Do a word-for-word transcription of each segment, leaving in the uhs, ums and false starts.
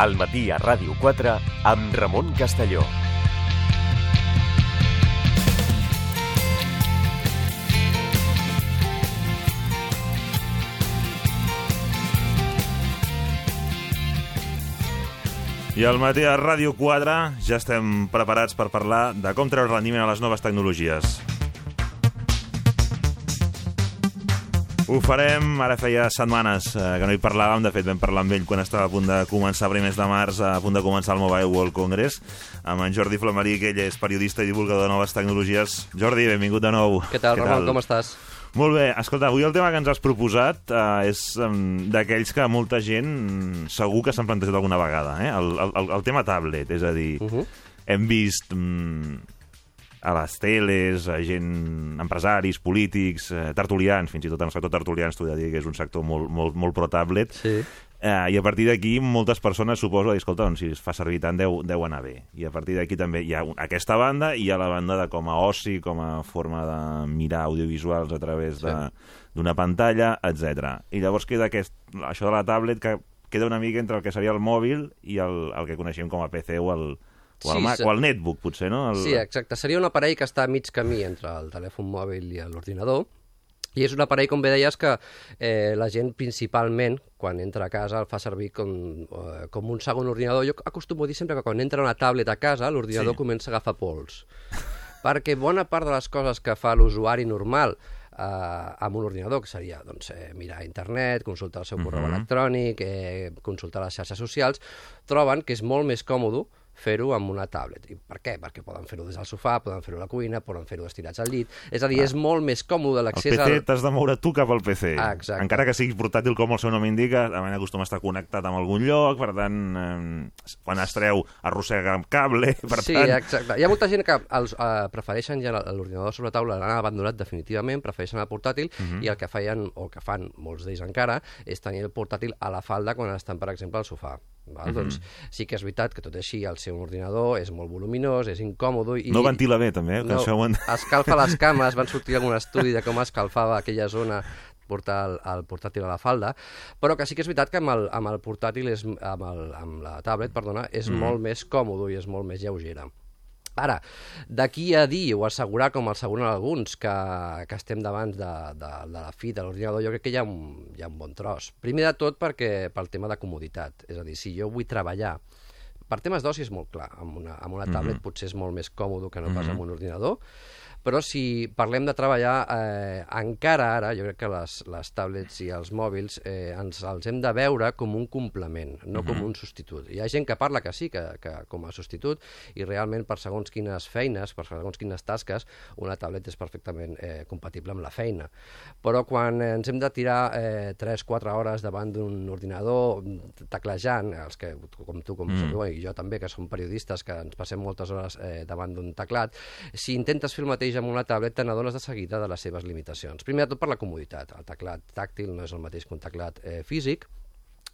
Al matí a Ràdio quatre amb Ramon Castelló. I al matí a Ràdio quatre ja estem preparats per parlar de com treure rendiment a les noves tecnologies. Ho farem, ara feia setmanes eh, que no hi parlàvem, de fet vam parlar amb ell quan estava a punt de començar, primers de març, a punt de començar el Mobile World Congress, amb en Jordi Flamarí, que ell és periodista i divulgador de noves tecnologies. Jordi, benvingut de nou. Què tal, Ramon, com estàs? Molt bé. Escolta, avui el tema que ens has proposat eh, és um, d'aquells que molta gent segur que s'han plantejat alguna vegada, eh? el, el, el tema tablet, és a dir, uh-huh. hem vist um, a les teles, a gent, empresaris, polítics, eh, tertulians, fins i tot en el sector tertulians, t'ho he de dir que és un sector molt, molt, molt pro-tablet, sí. Eh, i a partir d'aquí moltes persones suposo, escolta, doncs, si es fa servir tant deu, deu anar bé. I a partir d'aquí també hi ha aquesta banda i hi ha la banda de com a oci, com a forma de mirar audiovisuals a través sí. d'una pantalla, etcètera. I llavors queda aquest, això de la tablet que queda una mica entre el que seria el mòbil i el, el que coneixem com a P C o el, o el, sí, Mac, sí. o el netbook, potser, no? El... Sí, exacte. Seria un aparell que està a mig camí entre el telèfon mòbil i l'ordinador. I és un aparell, com bé deies, que eh, la gent principalment, quan entra a casa, el fa servir com, eh, com un segon ordinador. Jo acostumo a dir sempre que quan entra una tablet a casa, l'ordinador sí. comença a agafar pols. Perquè bona part de les coses que fa l'usuari normal eh, amb un ordinador, que seria doncs, eh, mirar internet, consultar el seu correu uh-huh. electrònic, eh, consultar les xarxes socials, troben que és molt més còmode fer-ho amb una tablet. I per què? Perquè poden fer-ho des del sofà, poden fer-ho a la cuina, poden fer-ho estirats al llit. És a dir, ah. és molt més còmode l'accés al... El P C t'has de moure tu cap al P C. Ah, exacte. Encara que sigui portàtil, com el seu nom indica, a vegades acostuma a estar connectat amb algun lloc, per tant, eh, quan es treu, arrossega amb cable, per sí, tant... Sí, exacte. Hi ha molta gent que els, eh, prefereixen ja l'ordinador sobre la taula, l'han abandonat definitivament, prefereixen el portàtil, uh-huh. i el que feien, o el que fan molts d'ells encara, és tenir el portàtil a la falda quan estan, per exemple, al sofà. Val? Uh-huh. Doncs sí que és veritat que tot així el seu ordinador és molt voluminós, és incòmode i... No ventila bé també, eh? No, en... escalfa les cames, van sortir algun estudi de com escalfava aquella zona portar el, el portàtil a la falda, però que sí que és veritat que amb el, amb el portàtil, és, amb, el, amb la tablet, perdona, és mm. molt més còmode i és molt més lleugera. Ara, d'aquí a dir o assegurar, com asseguren alguns, que, que estem davant de, de, de la fi de l'ordinador, jo crec que hi ha, un, hi ha un bon tros. Primer de tot perquè pel tema de comoditat, és a dir, si jo vull treballar, per temes d'oci és molt clar, amb una, amb una tablet mm-hmm. potser és molt més còmode que no pas mm-hmm. amb un ordinador, però si parlem de treballar, eh, encara ara, jo crec que les, les tablets i els mòbils eh, ens els hem de veure com un complement, no mm-hmm. com un substitut. Hi ha gent que parla que sí, que, que com a substitut, i realment per segons quines feines, per segons quines tasques, una tablet és perfectament eh, compatible amb la feina. Però quan ens hem de tirar eh, tres quatre hores davant d'un ordinador teclejant, els que, com tu, com mm. sabeu, i jo també, que som periodistes, que ens passem moltes hores eh, davant d'un teclat, si intentes fer el mateix amb una tablet te n'adones de seguida de les seves limitacions. Primer de tot per la comoditat. El teclat tàctil no és el mateix que un teclat eh, físic,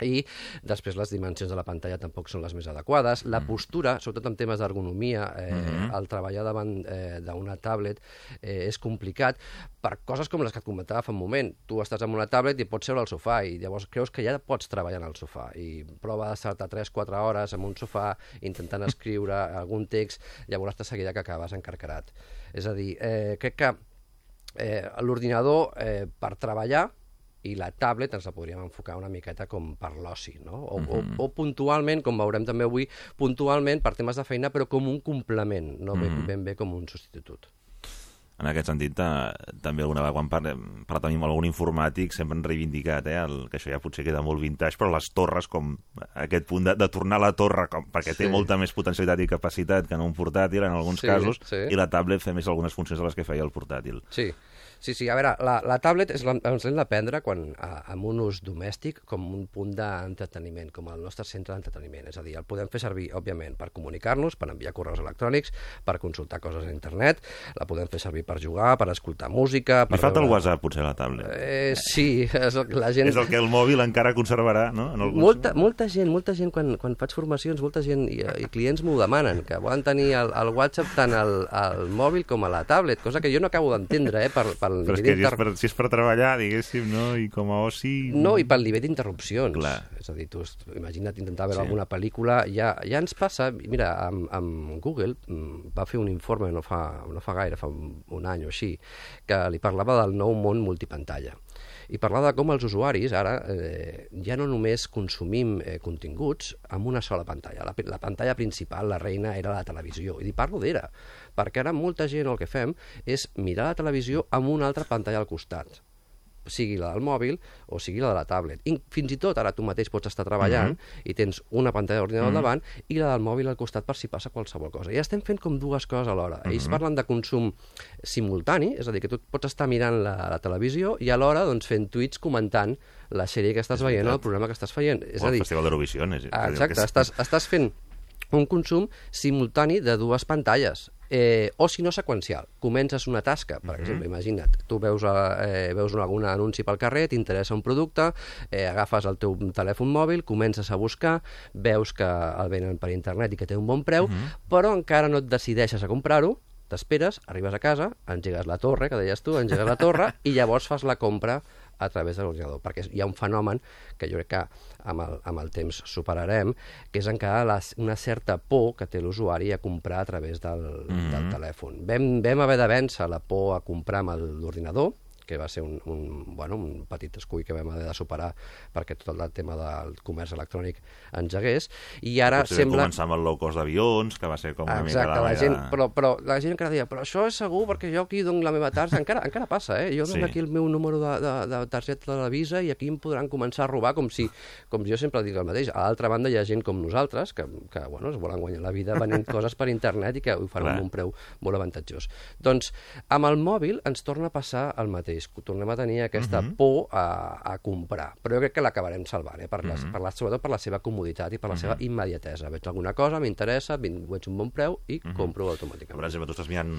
i després les dimensions de la pantalla tampoc són les més adequades. La postura, sobretot en temes d'ergonomia, eh, mm-hmm. el treballar davant eh, d'una tablet eh, és complicat per coses com les que et comentava fa un moment. Tu estàs amb una tablet i pots seure al sofà i llavors creus que ja pots treballar en el sofà i prova d'estar-te tres quatre hores en un sofà intentant escriure algun text, llavors de seguida que acabes encarcarat. És a dir, eh, crec que eh, l'ordinador eh, per treballar i la tablet ens la podríem enfocar una miqueta com per l'oci, no? O, mm-hmm. o, o puntualment, com veurem també avui, puntualment per temes de feina, però com un complement, no mm-hmm. ben, ben bé com un substitut. En aquest sentit, eh, també alguna vegada quan parlem, parlat amb algun informàtic sempre han reivindicat eh, el, que això ja potser queda molt vintage, però les torres, com aquest punt de, de tornar a la torre, com, perquè sí. té molta més potencialitat i capacitat que en un portàtil, en alguns sí, casos, sí. i la tablet fa més algunes funcions de les que feia el portàtil. Sí. Sí, sí, a veure, la, la tablet és, ens l'hem de prendre quan, a, amb un ús domèstic com un punt d'entreteniment, com el nostre centre d'entreteniment. És a dir, el podem fer servir, òbviament, per comunicar-nos, per enviar correus electrònics, per consultar coses a internet, la podem fer servir per jugar, per escoltar música... Per Li falta veure... el WhatsApp, potser, a la tablet. Eh, sí, és el, la gent... És el que el mòbil encara conservarà, no? En alguns... Molta, molta gent, molta gent, quan, quan faig formacions, molta gent i, i clients m'ho demanen, que volen tenir el, el WhatsApp tant al, al mòbil com a la tablet, cosa que jo no acabo d'entendre, eh, per, pel Però és nivell que si és, per, si és per treballar, diguéssim, no? I com a oci... No, i pel nivell d'interrupcions. Clar. És a dir, tu imagina't intentar veure Sí. alguna pel·lícula, ja, ja ens passa... Mira, amb, amb Google mm, va fer un informe no fa, no fa gaire, fa un, un any o així, que li parlava del nou món multipantalla. I parlava de com els usuaris ara eh, ja no només consumim eh, continguts amb una sola pantalla. La, la pantalla principal, la reina, era la televisió. I parlo d'era, perquè ara molta gent el que fem és mirar la televisió amb una altra pantalla al costat, sigui la del mòbil o sigui la de la tablet. I fins i tot ara tu mateix pots estar treballant mm-hmm. i tens una pantalla d'ordinador mm-hmm. al davant i la del mòbil al costat per si passa qualsevol cosa. I estem fent com dues coses alhora. Mm-hmm. Ells parlen de consum simultani, és a dir, que tu pots estar mirant la, la televisió i alhora doncs, fent tuits comentant la sèrie que estàs veient o el programa que estàs veient. És o a el dir, Festival d'Eurovisió. Exacte, estàs, estàs fent un consum simultani de dues pantalles. Eh, o si no seqüencial, comences una tasca, per exemple, imagina't, tu veus, eh, veus algun anunci pel carrer, t'interessa un producte, eh, agafes el teu telèfon mòbil, comences a buscar, veus que el venen per internet i que té un bon preu, uh-huh. però encara no et decideixes a comprar-ho, t'esperes, arribes a casa, engegues la torre, que deies tu, engegues la torre, i llavors fas la compra a través de l'ordinador, perquè hi ha un fenomen que jo crec que amb el, amb el temps superarem, que és encara la, una certa por que té l'usuari a comprar a través del, mm-hmm. del telèfon. Vam, vam haver de vèncer la por a comprar amb l'ordinador, que va ser un, un, bueno, un petit escull que vam haver de superar perquè tot el tema del comerç electrònic engegués, i ara Potser sembla... començar amb el low cost d'avions, que va ser com una Exacte, mica la, la meva... gent, però, però la gent encara deia, però això és segur perquè jo aquí dono la meva targeta, encara, encara passa, eh? Jo dono Sí. aquí el meu número de, de, de targeta de la Visa i aquí em podran començar a robar, com si, com jo sempre dic el mateix. A l'altra banda hi ha gent com nosaltres que, que bueno, es volen guanyar la vida venent coses per internet i que ho fan Clar. amb un preu molt avantatjós. Doncs amb el mòbil ens torna a passar el mateix, tornem a tenir aquesta uh-huh. por a, a comprar, però jo crec que l'acabarem salvant, eh? per les, uh-huh. per la, sobretot per la seva comoditat i per la uh-huh. seva immediatesa. Veig alguna cosa, m'interessa, veig un bon preu i uh-huh. compro automàticament. Per exemple, tu estàs mirant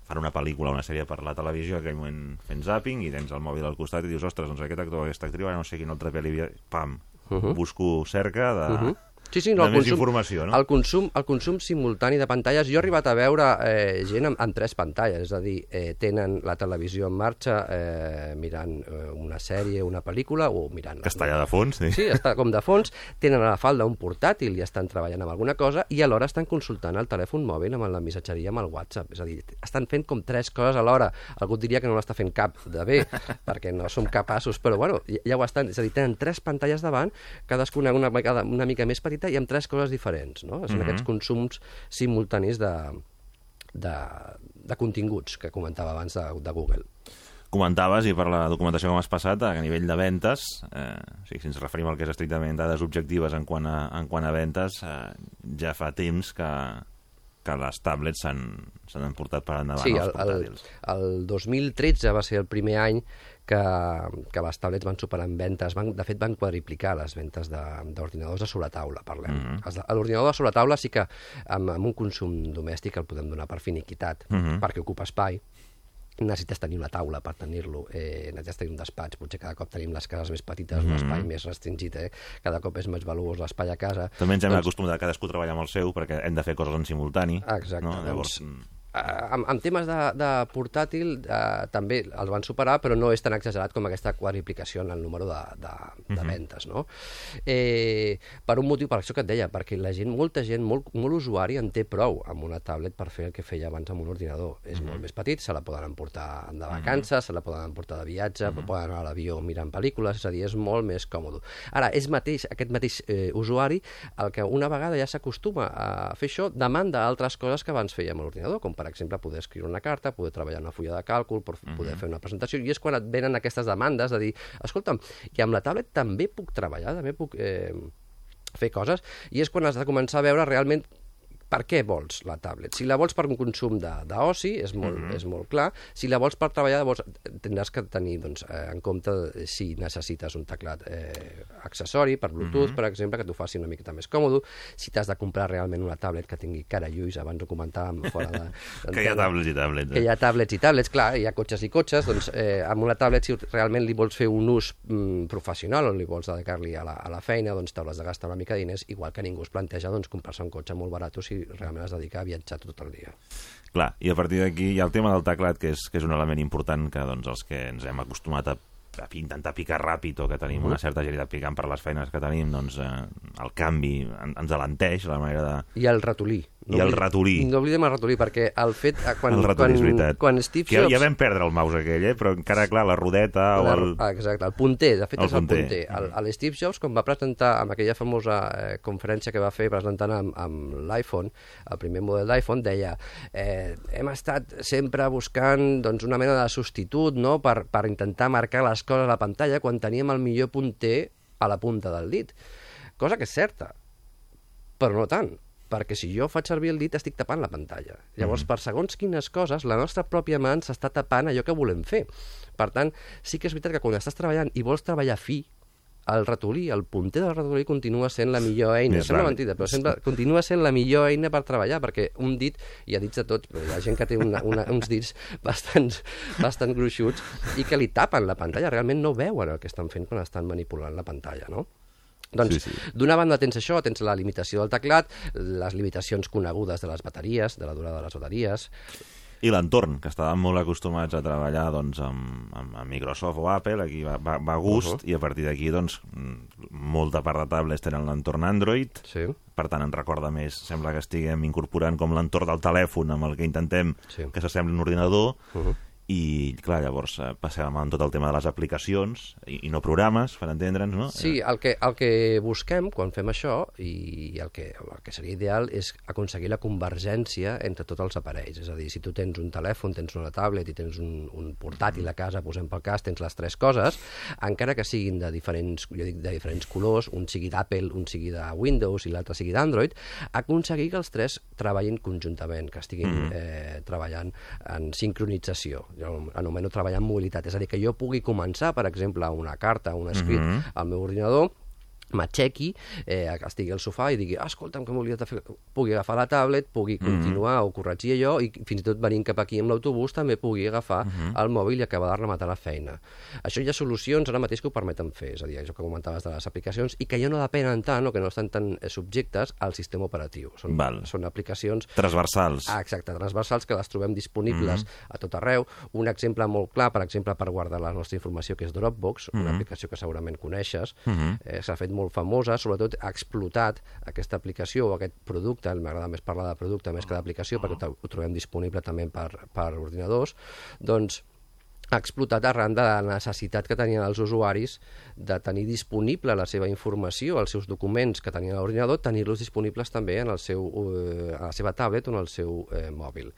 fan una pel·lícula o una sèrie per la televisió, en aquell moment fent zapping, i tens el mòbil al costat i dius, ostres, doncs aquest actor, aquesta actriu, ara no sé quina altra pel·li... Pam, uh-huh. busco cerca de... Uh-huh. Sí, sí, no, de el més consum, informació, no? El consum, el consum simultani de pantalles, jo he arribat a veure eh, gent amb, amb tres pantalles, és a dir, eh, tenen la televisió en marxa eh, mirant eh, una sèrie, una pel·lícula, o mirant... Que està allà de fons, sí. Sí, està com de fons, tenen a la falda un portàtil i estan treballant amb alguna cosa, i alhora estan consultant el telèfon mòbil amb la missatgeria amb el WhatsApp, és a dir, estan fent com tres coses alhora. Algú diria que no l'està fent cap de bé, perquè no som capaços, però bueno, ja ho estan, és a dir, tenen tres pantalles davant, cadascuna una, una mica més petita, i amb tres coses diferents, no? Són mm-hmm. aquests consums simultanis de, de, de continguts que comentava abans de, de Google. Comentaves, i per la documentació que m'has passat, que a nivell de ventes, eh, o sigui, si ens referim al que és estrictament dades objectives en quant a, en quant a ventes, eh, ja fa temps que, que les tablets s'han emportat per endavant sí, els portàtils. Sí, el, el dos mil tretze va ser el primer any que, que les tablets van superar en ventes, van, de fet van quadriplicar les ventes d'ordinadors de, de sobretaula, parlem. Mm-hmm. L'ordinador de sobretaula sí que amb, amb un consum domèstic el podem donar per finiquitat, mm-hmm. perquè ocupa espai, necessites tenir una taula per tenir-lo, eh, necessites tenir un despatx, potser cada cop tenim les cases més petites, mm-hmm. un espai més restringit, eh? Cada cop és més valuós l'espai a casa. També ens hem doncs... acostumat a cadascú treballar amb el seu, perquè hem de fer coses en simultani. Exacte, no? Llavors... doncs... Uh, en, en temes de, de portàtil uh, també els van superar, però no és tan exagerat com aquesta quadriplicació en el número de, de, de uh-huh. ventes, no? Eh, per un motiu, per això que et deia, perquè la gent, molta gent, molt, molt usuari en té prou amb una tablet per fer el que feia abans amb un ordinador. És uh-huh. molt més petit, se la poden emportar de vacances, uh-huh. se la poden emportar de viatge, uh-huh. poden anar a l'avió mirant pel·lícules, és a dir, és molt més còmode. Ara, és mateix, aquest mateix eh, usuari, el que una vegada ja s'acostuma a fer això, demanda altres coses que abans feia amb l'ordinador, com per exemple, poder escriure una carta, poder treballar una fulla de càlcul, poder uh-huh. fer una presentació, i és quan et venen aquestes demandes de dir, escolta'm, i amb la tablet també puc treballar, també puc eh, fer coses, i és quan has de començar a veure realment per què vols la tablet? Si la vols per un consum d'oci, és, molt, mm -hmm. és molt clar. Si la vols per treballar, llavors tindràs que tenir doncs, eh, en compte si necessites un teclat eh, accessori per Bluetooth, mm -hmm. per exemple, que t'ho faci una miqueta més còmode. Si t'has de comprar realment una tablet que tingui cara i ulls, abans ho comentàvem fora de... que hi ha tablets i tablets. Eh? Que hi ha tablets i tablets, clar, hi ha cotxes i cotxes, doncs eh, amb una tablet, si realment li vols fer un ús mm, professional o li vols dedicar-li a, la, a la feina, doncs t'hauràs de gastar una mica de diners, igual que ningú es planteja doncs, comprar-se un cotxe molt barat si realment es dedica a viatjar tot el dia. Clar, i a partir d'aquí hi ha el tema del teclat, que és, que és un element important que doncs, els que ens hem acostumat a, a intentar picar ràpid o que tenim uh -huh. una certa agilitat picant per les feines que tenim, doncs eh, el canvi en, ens alenteix la manera de... I el ratolí. No I el ratolí. No oblidem el ratolí, perquè el fet... Quan, el ratolí, és veritat. Quan, quan Steve que Jobs... ja vam perdre el mouse aquell, eh? Però encara, clar, la rodeta la, o el... Exacte, el punter, de fet el és el punter. punter. El, el Steve Jobs, quan va presentar amb aquella famosa eh, conferència que va fer presentant amb, amb l'iPhone, el primer model d'iPhone, deia eh, hem estat sempre buscant doncs, una mena de substitut, no?, per, per intentar marcar les coses a la pantalla quan teníem el millor punter a la punta del dit. Cosa que és certa, però no tant, perquè si jo faig servir el dit estic tapant la pantalla. Llavors, mm. per segons quines coses, la nostra pròpia mà s'està tapant allò que volem fer. Per tant, sí que és veritat que quan estàs treballant i vols treballar fi, el ratolí, el punter del ratolí continua sent la millor eina. Més Sembla vale. mentida, però sembla, continua sent la millor eina per treballar, perquè un dit, hi ha dits de tots, però hi ha gent que té una, una, uns dits bastant, bastant gruixuts i que li tapen la pantalla, realment no veuen el que estan fent quan estan manipulant la pantalla, no? Doncs, sí, sí. D'una banda tens això, tens la limitació del teclat, les limitacions conegudes de les bateries, de la durada de les bateries... I l'entorn, que estàvem molt acostumats a treballar doncs, amb, amb, amb Microsoft o Apple, aquí va, va, va a gust, uh -huh. i a partir d'aquí doncs, molta part de tablets tenen l'entorn Android, sí. Per tant, ens recorda més, sembla que estiguem incorporant com l'entorn del telèfon amb el que intentem sí. que s'assembli un ordinador, uh -huh. i, clar, llavors eh, passem amb tot el tema de les aplicacions i, i no programes, per entendre'ns, no? Sí, el que, el que busquem quan fem això, i el que, el que seria ideal, és aconseguir la convergència entre tots els aparells. És a dir, si tu tens un telèfon, tens una tablet i tens un, un portàtil a casa, posem pel cas, tens les tres coses, encara que siguin de diferents, jo dic, de diferents colors, un sigui d'Apple, un sigui de Windows i l'altre sigui d'Android, aconseguir que els tres treballin conjuntament, que estiguin mm -hmm. eh, treballant en sincronització. Jo anomeno treballar en mobilitat, és a dir, que jo pugui començar, per exemple, una carta, un escrit uh-huh. al meu ordinador, m'aixequi, eh, estigui al sofà i digui, ah, escolta'm, que m'hauria de fer... Pugui agafar la tablet, pugui continuar mm -hmm. o corregir allò, i fins i tot venint cap aquí amb l'autobús també pugui agafar mm -hmm. el mòbil i acabar de rematar la feina. Això hi ha solucions ara mateix que ho permeten fer, és a dir, això que comentaves de les aplicacions, i que ja no depenen tant o que no estan tan subjectes al sistema operatiu. Són, Val. són aplicacions... Transversals. Ah, exacte, transversals, que les trobem disponibles mm -hmm. a tot arreu. Un exemple molt clar, per exemple, per guardar la nostra informació, que és Dropbox, mm -hmm. una aplicació que segurament coneixes, mm -hmm. eh, s'ha fet molt famosa, sobretot ha explotat aquesta aplicació o aquest producte, m'agrada més parlar de producte més que d'aplicació, perquè ho trobem disponible també per, per ordinadors, doncs ha explotat arran de la necessitat que tenien els usuaris de tenir disponible la seva informació, els seus documents que tenien a l'ordinador, tenir-los disponibles també en el seu, eh, a la seva tablet o en el seu eh, mòbil.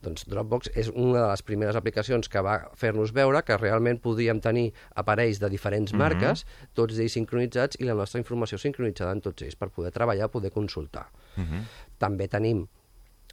Doncs Dropbox és una de les primeres aplicacions que va fer-nos veure que realment podíem tenir aparells de diferents marques, mm-hmm. tots ells sincronitzats, i la nostra informació sincronitzada en tots ells per poder treballar, poder consultar. Mm-hmm. També tenim,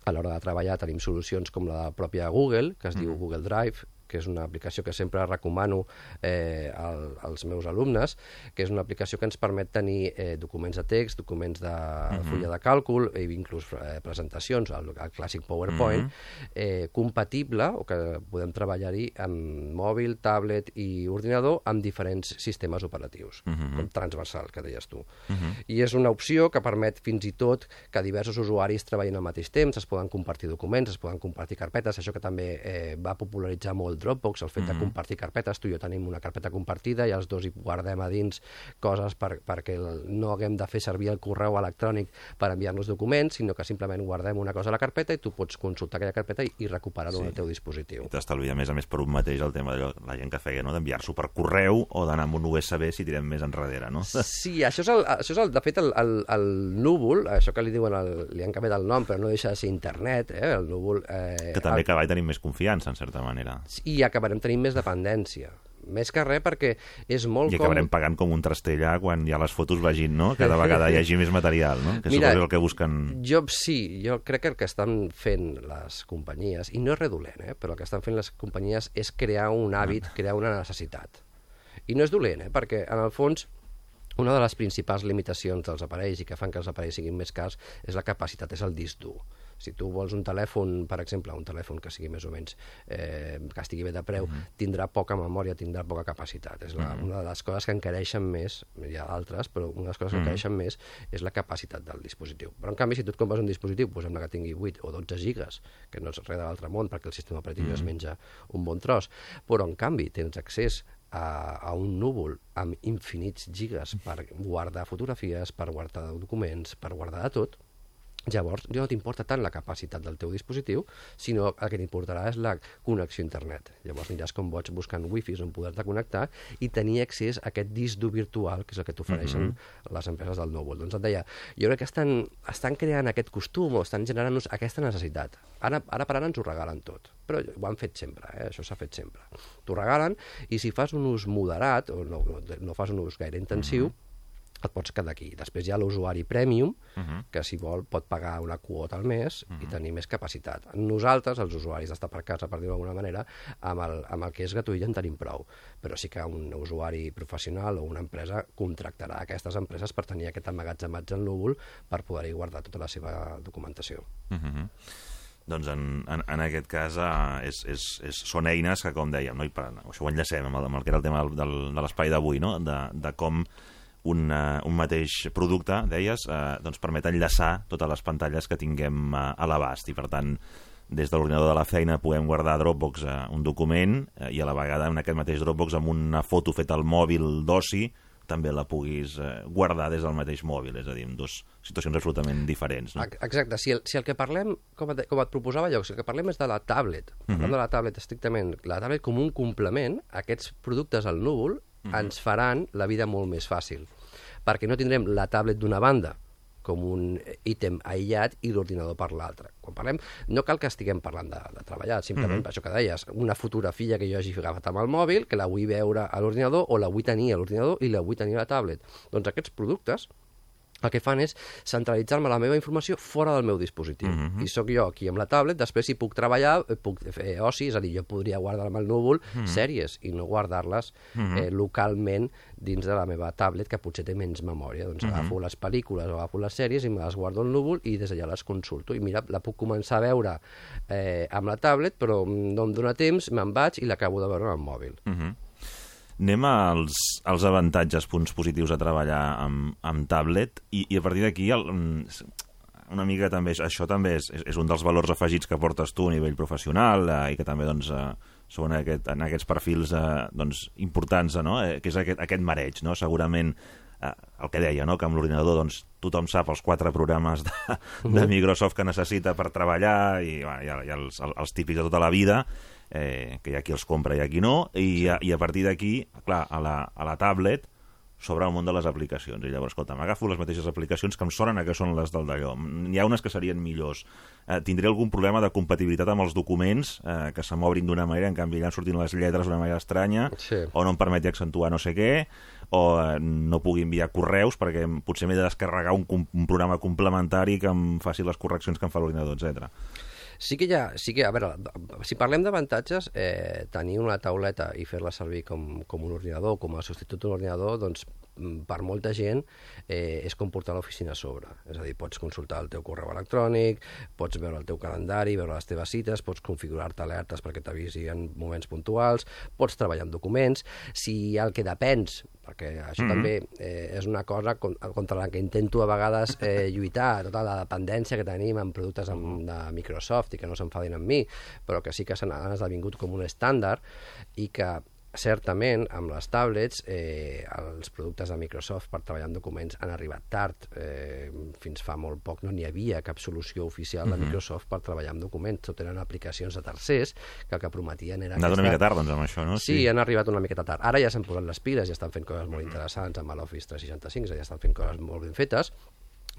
a l'hora de treballar, tenim solucions com la pròpia Google, que es mm-hmm. diu Google Drive, que és una aplicació que sempre recomano eh, al, als meus alumnes, que és una aplicació que ens permet tenir eh, documents de text, documents de uh-huh. fulla de càlcul, i inclús eh, presentacions, el, el clàssic PowerPoint, uh-huh. eh, compatible, o que podem treballar-hi amb mòbil, tablet i ordinador, amb diferents sistemes operatius, uh-huh. com transversal, que deies tu. Uh-huh. I és una opció que permet fins i tot que diversos usuaris treballin al mateix temps, es poden compartir documents, es poden compartir carpetes, això que també eh, va popularitzar molt Dropbox, el fet de compartir carpetes. Tu i jo tenim una carpeta compartida i els dos hi guardem a dins coses per, perquè no haguem de fer servir el correu electrònic per enviar-nos documents, sinó que simplement guardem una cosa a la carpeta i tu pots consultar aquella carpeta i, i recuperar-ho sí. en el teu dispositiu. I t'estalvia, a més a més, per un mateix el tema de la gent que feia, no?, d'enviar-s'ho per correu o d'anar amb un U S B si tirem més enrere, no? Sí, això és, el, això és el, de fet, el, el, el núvol, això que li diuen, el, li han canviat el nom, però no deixa de ser internet, eh? El núvol... Eh, que també el... cada vegada tenim més confiança, en certa manera. I acabarem tenint més dependència. Més que res perquè és molt... I acabarem com... pagant com un trastellà quan ja les fotos vagin, no? Cada vegada hi hagi més material, no? Que Mira, és el que busquen... Jo sí, jo crec que el que estan fent les companyies, i no és redolent, eh, però el que estan fent les companyies és crear un hàbit, crear una necessitat. I no és dolent, eh, perquè en el fons una de les principals limitacions dels aparells i que fan que els aparells siguin més cars és la capacitat, és el disc dur. Si tu vols un telèfon, per exemple, un telèfon que sigui més o menys, eh, que estigui bé de preu, uh-huh. tindrà poca memòria, tindrà poca capacitat. És la, uh-huh. una de les coses que encareixen més, hi ha altres, però una de les coses que uh-huh. encareixen més és la capacitat del dispositiu. Però en canvi, si tu et compres un dispositiu, posem que tingui vuit o dotze gigas, que no és res de l'altre món, perquè el sistema operatiu uh-huh. es menja un bon tros, però en canvi tens accés a, a un núvol amb infinits gigas per guardar fotografies, per guardar documents, per guardar de tot, llavors ja no t'importa tant la capacitat del teu dispositiu, sinó el que t'importarà és la connexió a internet. Llavors aniràs com boig buscant wifis on poder-te connectar i tenir accés a aquest disc dur virtual, que és el que t'ofereixen mm-hmm. les empreses del núvol. Doncs et deia, jo crec que estan, estan creant aquest costum o estan generant-nos aquesta necessitat. Ara, ara per ara ens ho regalen tot, però ho han fet sempre, eh? Això s'ha fet sempre. T'ho regalen i si fas un ús moderat o no, no, no fas un ús gaire intensiu, mm-hmm. et pots quedar aquí. Després hi ha l'usuari premium, uh-huh. que si vol pot pagar una quota al mes uh-huh. i tenir més capacitat. Nosaltres, els usuaris d'estar per casa, per dir-ho d'alguna manera, amb el, amb el que és gratuït ja en tenim prou. Però sí que un usuari professional o una empresa contractarà aquestes empreses per tenir aquest emmagatzematge en núvol per poder-hi guardar tota la seva documentació. Uh-huh. Doncs en, en, en aquest cas uh, és, és, és, són eines que, com dèiem, no? I per, això ho enllacem amb el, amb el que era el tema del, de l'espai d'avui, no? de, de com Un, uh, un mateix producte, deies, uh, doncs permet enllaçar totes les pantalles que tinguem uh, a l'abast i, per tant, des de l'ordinador de la feina podem guardar a Dropbox uh, un document uh, i a la vegada en aquest mateix Dropbox amb una foto feta al mòbil d'oci també la puguis uh, guardar des del mateix mòbil, és a dir, en dues situacions absolutament diferents. No? Exacte, si el, si el que parlem, com et, com et proposava jo, si el que parlem és de la tablet, parlem uh-huh. de la tablet estrictament, la tablet com un complement, aquests productes al núvol Uh-huh. ens faran la vida molt més fàcil, perquè no tindrem la tablet d'una banda com un ítem aïllat i l'ordinador per l'altre. Quan parlem, no cal que estiguem parlant de, de treballar, simplement uh-huh. això que deies, una fotografia que jo hagi agafat amb el mòbil, que la vull veure a l'ordinador o la vull tenir a l'ordinador i la vull tenir a la tablet. Doncs aquests productes el que fan és centralitzar-me la meva informació fora del meu dispositiu. Uh-huh. I sóc jo aquí amb la tablet, després si puc treballar, puc fer oci, és a dir, jo podria guardar-me al núvol uh-huh. sèries i no guardar-les uh-huh. eh, localment dins de la meva tablet, que potser té menys memòria. Doncs uh-huh. agafo les pel·lícules o agafo les sèries i me les guardo al núvol i des d'allà les consulto. I mira, la puc començar a veure eh, amb la tablet, però no em dóna temps, me'n vaig i l'acabo de veure amb el mòbil. Uh-huh. Anem als, als avantatges, punts positius a treballar amb, amb tablet i, i a partir d'aquí el, una mica també, això també és, és un dels valors afegits que portes tu a nivell professional eh, i que també doncs, eh, són aquest, en aquests perfils eh, doncs, importants, eh, no? eh, que és aquest, aquest mareig, no? Segurament eh, el que deia, no? Que amb l'ordinador doncs, tothom sap els quatre programes de, de Microsoft que necessita per treballar i bueno, hi ha, hi ha els, els típics de tota la vida, Eh, que hi ha qui els compra i hi ha qui no, i, a, i a partir d'aquí, clar, a la, a la tablet s'obre el món de les aplicacions, i llavors, escolta, m'agafo les mateixes aplicacions que em sonen a que són les del d'allò. N'hi ha unes que serien millors. Eh, tindré algun problema de compatibilitat amb els documents, eh, que se m'obrin d'una manera, en canvi allà sortint les lletres d'una manera estranya, sí. o no em permeti accentuar no sé què, o eh, no pugui enviar correus perquè potser m'he de descarregar un, un programa complementari que em faci les correccions que em fa l'ordinador, etcètera. Sí que hi ha, sí que, a veure, si parlem d'avantatges, eh, tenir una tauleta i fer-la servir com, com un ordinador, com a substitut d'un ordinador, doncs per molta gent eh, és com portar l'oficina a sobre. És a dir, pots consultar el teu correu electrònic, pots veure el teu calendari, veure les teves cites, pots configurar-te alertes perquè t'avisi en moments puntuals, pots treballar amb documents. Si el que depens, perquè això mm-hmm. també eh, és una cosa contra la que intento a vegades eh, lluitar, tota la dependència que tenim en productes amb, de Microsoft i que no s'enfadin amb mi, però que sí que s'han esdevingut com un estàndard i que certament, amb les tablets, eh, els productes de Microsoft per treballar en documents han arribat tard. Eh, fins fa molt poc no n'hi havia cap solució oficial de Microsoft per treballar en documents. Tot eren aplicacions de tercers que el que prometien era... Han anat una mica tard, doncs, amb això, no? Sí, sí, han arribat una miqueta tard. Ara ja s'han posat les piles i estan fent coses molt interessants amb l'Office tres seixanta-cinc, és a dir, estan fent coses molt ben fetes,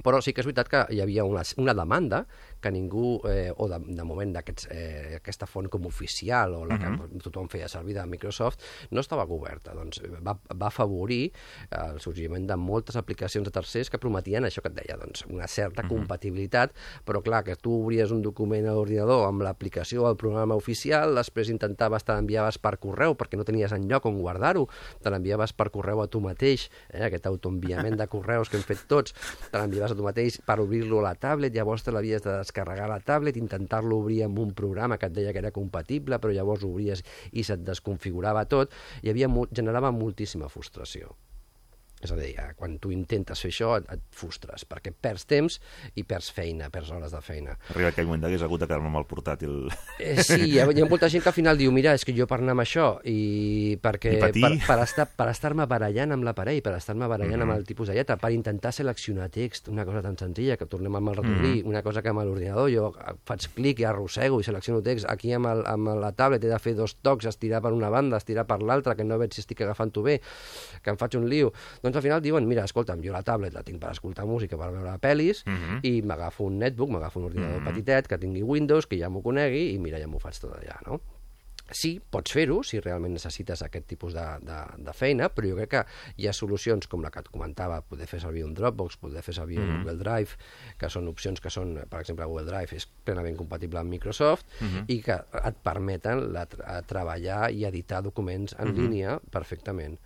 Però sí que és veritat que hi havia una, una demanda que ningú, eh, o de, de moment eh, aquesta font com oficial o la que uh-huh. tothom feia servir de Microsoft, no estava coberta. Doncs va, va afavorir el sorgiment de moltes aplicacions de tercers que prometien això que et deia, doncs, una certa uh-huh. compatibilitat, però clar, que tu obries un document a l'ordinador amb l'aplicació o el programa oficial, després intentaves, te l'enviaves per correu perquè no tenies enlloc on guardar-ho, te l'enviaves per correu a tu mateix, eh, aquest autoenviament de correus que hem fet tots, te l'enviaves a tu mateix per obrir-lo a la tablet, llavors te l'havies de descarregar a la tablet, intentar-lo obrir amb un programa que et deia que era compatible, però llavors obries i se't desconfigurava tot, i havia, generava moltíssima frustració. És a dir, quan tu intentes fer això et, et frustres, perquè perds temps i perds feina, perds hores de feina. Arriba aquell moment d'hagués hagut de quedar-me amb el portàtil. Eh, sí, hi ha, hi ha molta gent que al final diu, mira, és que jo per anar amb això, i perquè I per, per, estar, per estar-me barallant amb l'aparell, per estar-me barallant mm-hmm. amb el tipus de lletra, per intentar seleccionar text, una cosa tan senzilla, que tornem amb el ratolí, mm-hmm. una cosa que amb l'ordinador jo faig clic i arrossego i selecciono text, aquí amb, el, amb la tablet he de fer dos tocs, estirar per una banda, estirar per l'altra, que no veig si estic agafant-ho bé, que em faig un lío. Doncs al final diuen, mira, escolta'm, jo la tablet la tinc per escoltar música, per veure pel·lis, uh-huh. i m'agafo un netbook, m'agafo un ordinador uh-huh. petitet, que tingui Windows, que ja m'ho conegui, i mira, ja m'ho faig tot allà, no? Sí, pots fer-ho, si realment necessites aquest tipus de, de, de feina, però jo crec que hi ha solucions com la que et comentava, poder fer servir un Dropbox, poder fer servir uh-huh. un Google Drive, que són opcions que són, per exemple, Google Drive és plenament compatible amb Microsoft, uh-huh. i que et permeten la, treballar i editar documents en uh-huh. línia perfectament.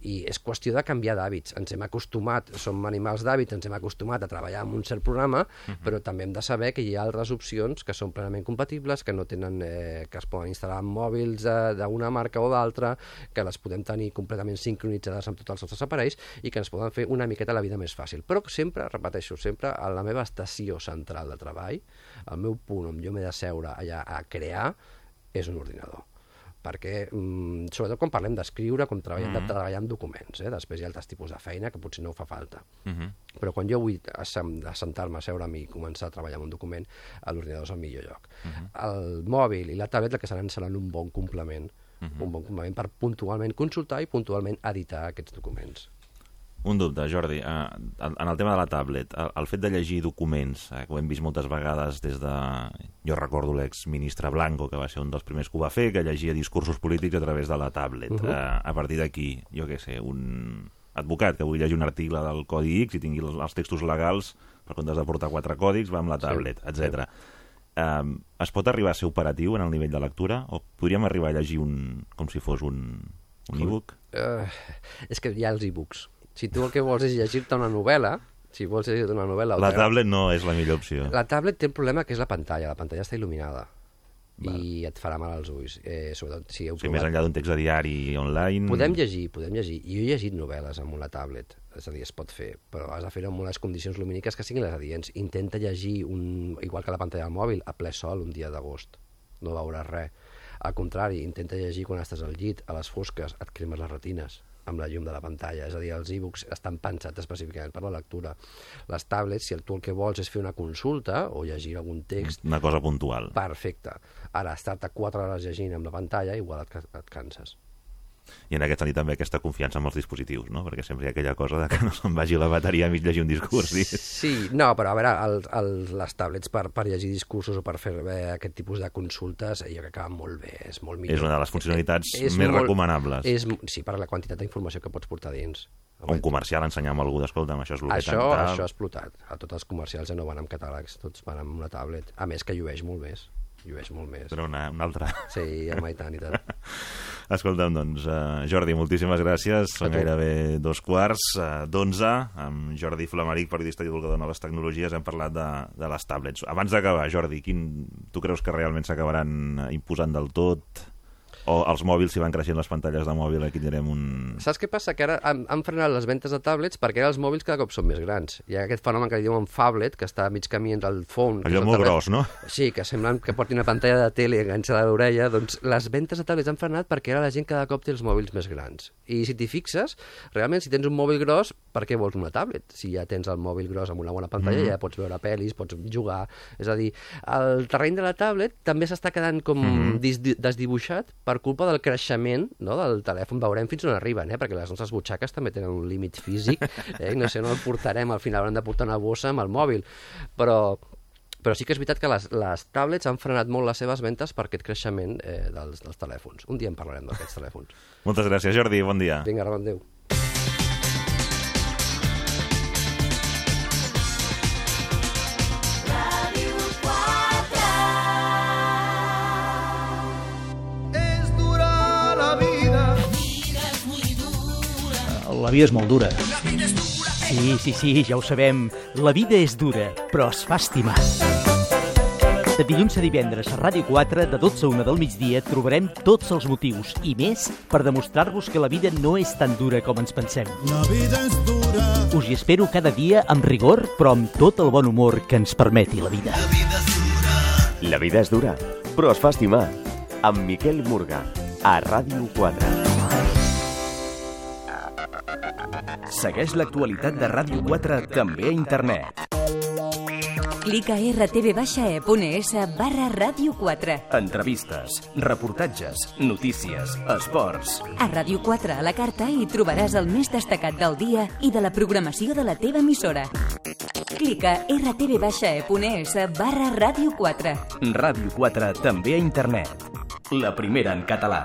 I és qüestió de canviar d'hàbits. Ens hem acostumat, som animals d'hàbits, ens hem acostumat a treballar amb un cert programa, uh-huh. però també hem de saber que hi ha altres opcions que són plenament compatibles, que no tenen, eh, que es poden instal·lar en mòbils eh, d'una marca o d'altra, que les podem tenir completament sincronitzades amb tots els nostres aparells i que ens poden fer una miqueta la vida més fàcil. Però sempre, repeteixo, sempre a la meva estació central de treball, el meu punt on jo m'he de seure allà a crear, és un ordinador. Perquè, mm, sobretot quan parlem d'escriure, com treballem, mm-hmm. de treballar amb documents, eh? Després hi ha altres tipus de feina que potser no fa falta. Mm-hmm. Però quan jo vull assentar-me, asseure'm i començar a treballar en un document, l'ordinador és el millor lloc. Mm-hmm. El mòbil i la tablet el que seran seran un bon complement, mm-hmm. un bon complement per puntualment consultar i puntualment editar aquests documents. Un dubte, Jordi, en el tema de la tablet, el fet de llegir documents, que ho hem vist moltes vegades des de... Jo recordo l'exministre Blanco, que va ser un dels primers que ho va fer, que llegia discursos polítics a través de la tablet. Uh-huh. A partir d'aquí, jo què sé, un advocat que vull llegir un article del Codi X i tingui els textos legals, per comptes de portar quatre còdics, va amb la tablet, sí, etcètera. Sí. Um, es pot arribar a ser operatiu en el nivell de lectura? O podríem arribar a llegir un, com si fos un, un e-book? Uh, és que hi ha els e-books. Si tu el que vols és llegir-te una novel·la, si vols llegir-te una novel·la... La tablet no és la millor opció. La tablet té un problema que és la pantalla. La pantalla està il·luminada. Val. I et farà mal als ulls. Eh, sobretot si heu o sigui, provat... més enllà d'un text de diari online... Podem llegir, podem llegir. I jo he llegit novel·les amb una tablet. És a dir, es pot fer, però has de fer-ho amb unes condicions lumíniques que siguin les adients. Intenta llegir, un... igual que la pantalla del mòbil, a ple sol un dia d'agost. No veuràs res. Al contrari, intenta llegir quan estàs al llit, a les fosques, et cremes les retines amb la llum de la pantalla, és a dir, els e-books estan pensats específicament per la lectura. Les tablets, si tu el que vols és fer una consulta o llegir algun text... Una cosa puntual. Perfecte. Ara, estar-te quatre hores llegint amb la pantalla, igual et, et canses. I en aquest sentit també aquesta confiança amb els dispositius, no? Perquè sempre hi ha aquella cosa de que no se'n vagi la bateria a mig llegir un discurs. Sí, sí, no, però a veure, el, el, les tablets per, per llegir discursos o per fer bé, aquest tipus de consultes, jo crec que va molt bé, és molt millor. És una de les funcionalitats és, és més molt, recomanables. És, sí, per la quantitat d'informació que pots portar dins. O un comercial ensenyar a algú d'escolta, això és el que això, això ha explotat. A tots els comercials ja no van amb catàlegs, tots van amb una tablet. A més que llueix molt més. Llueix molt més. Però una, una altra. Sí, home, i tant, i tant. Escolta'm, doncs, uh, Jordi, moltíssimes gràcies. Són gairebé dos quarts uh, d'onze. Amb Jordi Flamaric, periodista i divulgador de noves tecnologies, hem parlat de, de les tablets. Abans d'acabar, Jordi, quin, tu creus que realment s'acabaran imposant del tot? O els mòbils, si van creixent les pantalles de mòbil, aquí tindrem un... Saps què passa? Que ara han, han frenat les ventes de tablets perquè ara els mòbils cada cop són més grans. Hi ha aquest fenomen que li diuen phablet, que està a mig camí entre el phone... Allò molt gros, no? Sí, que semblen que porti una pantalla de tele enganxada a l'orella. Doncs les ventes de tablets han frenat perquè ara la gent cada cop té els mòbils més grans. I si t'hi fixes, realment, si tens un mòbil gros, per què vols una tablet? Si ja tens el mòbil gros amb una bona pantalla, mm-hmm. ja pots veure pel·lis, pots jugar... És a dir, el terreny de la tablet també s'està quedant com mm-hmm. desdibuixat per culpa del creixement, no, del telèfon, veurem fins on arriben, eh? Perquè les nostres butxaques també tenen un límit físic, eh? No sé, no el portarem, al final haurem de portar una bossa amb el mòbil, però... Però sí que és veritat que les, les tablets han frenat molt les seves ventes per aquest creixement eh, dels, dels telèfons. Un dia en parlarem d'aquests telèfons. Moltes gràcies, Jordi. Bon dia. Vinga, Ramon, adéu. La vida és molt dura. Sí, sí, sí, ja ho sabem. La vida és dura, però es fa estimar. De dilluns a divendres a Ràdio quatre, de dotze a una del migdia, trobarem tots els motius i més per demostrar-vos que la vida no és tan dura com ens pensem. La vida és dura. Us hi espero cada dia amb rigor, però amb tot el bon humor que ens permeti la vida. La vida és dura. La vida és dura, però es fa estimar. Amb Miquel Murga, a Ràdio quatre. Segueix l'actualitat de Ràdio quatre també a internet. Clica a erre te ve baixa e punt es barra Ràdio quatre. Entrevistes, reportatges, notícies, esports. A Ràdio quatre a la carta hi trobaràs el més destacat del dia i de la programació de la teva emissora. Clica a erre te ve baixa e punt es barra Ràdio quatre. Ràdio quatre també a internet. La primera en català.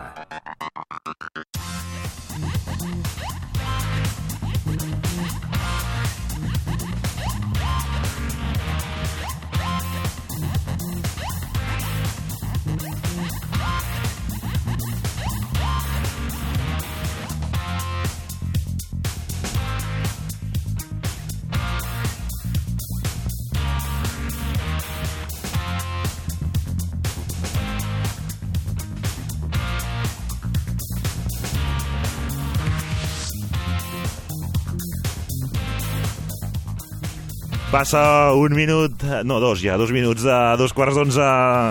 Passa un minut, no, dos ja, dos minuts de dos quarts d'onze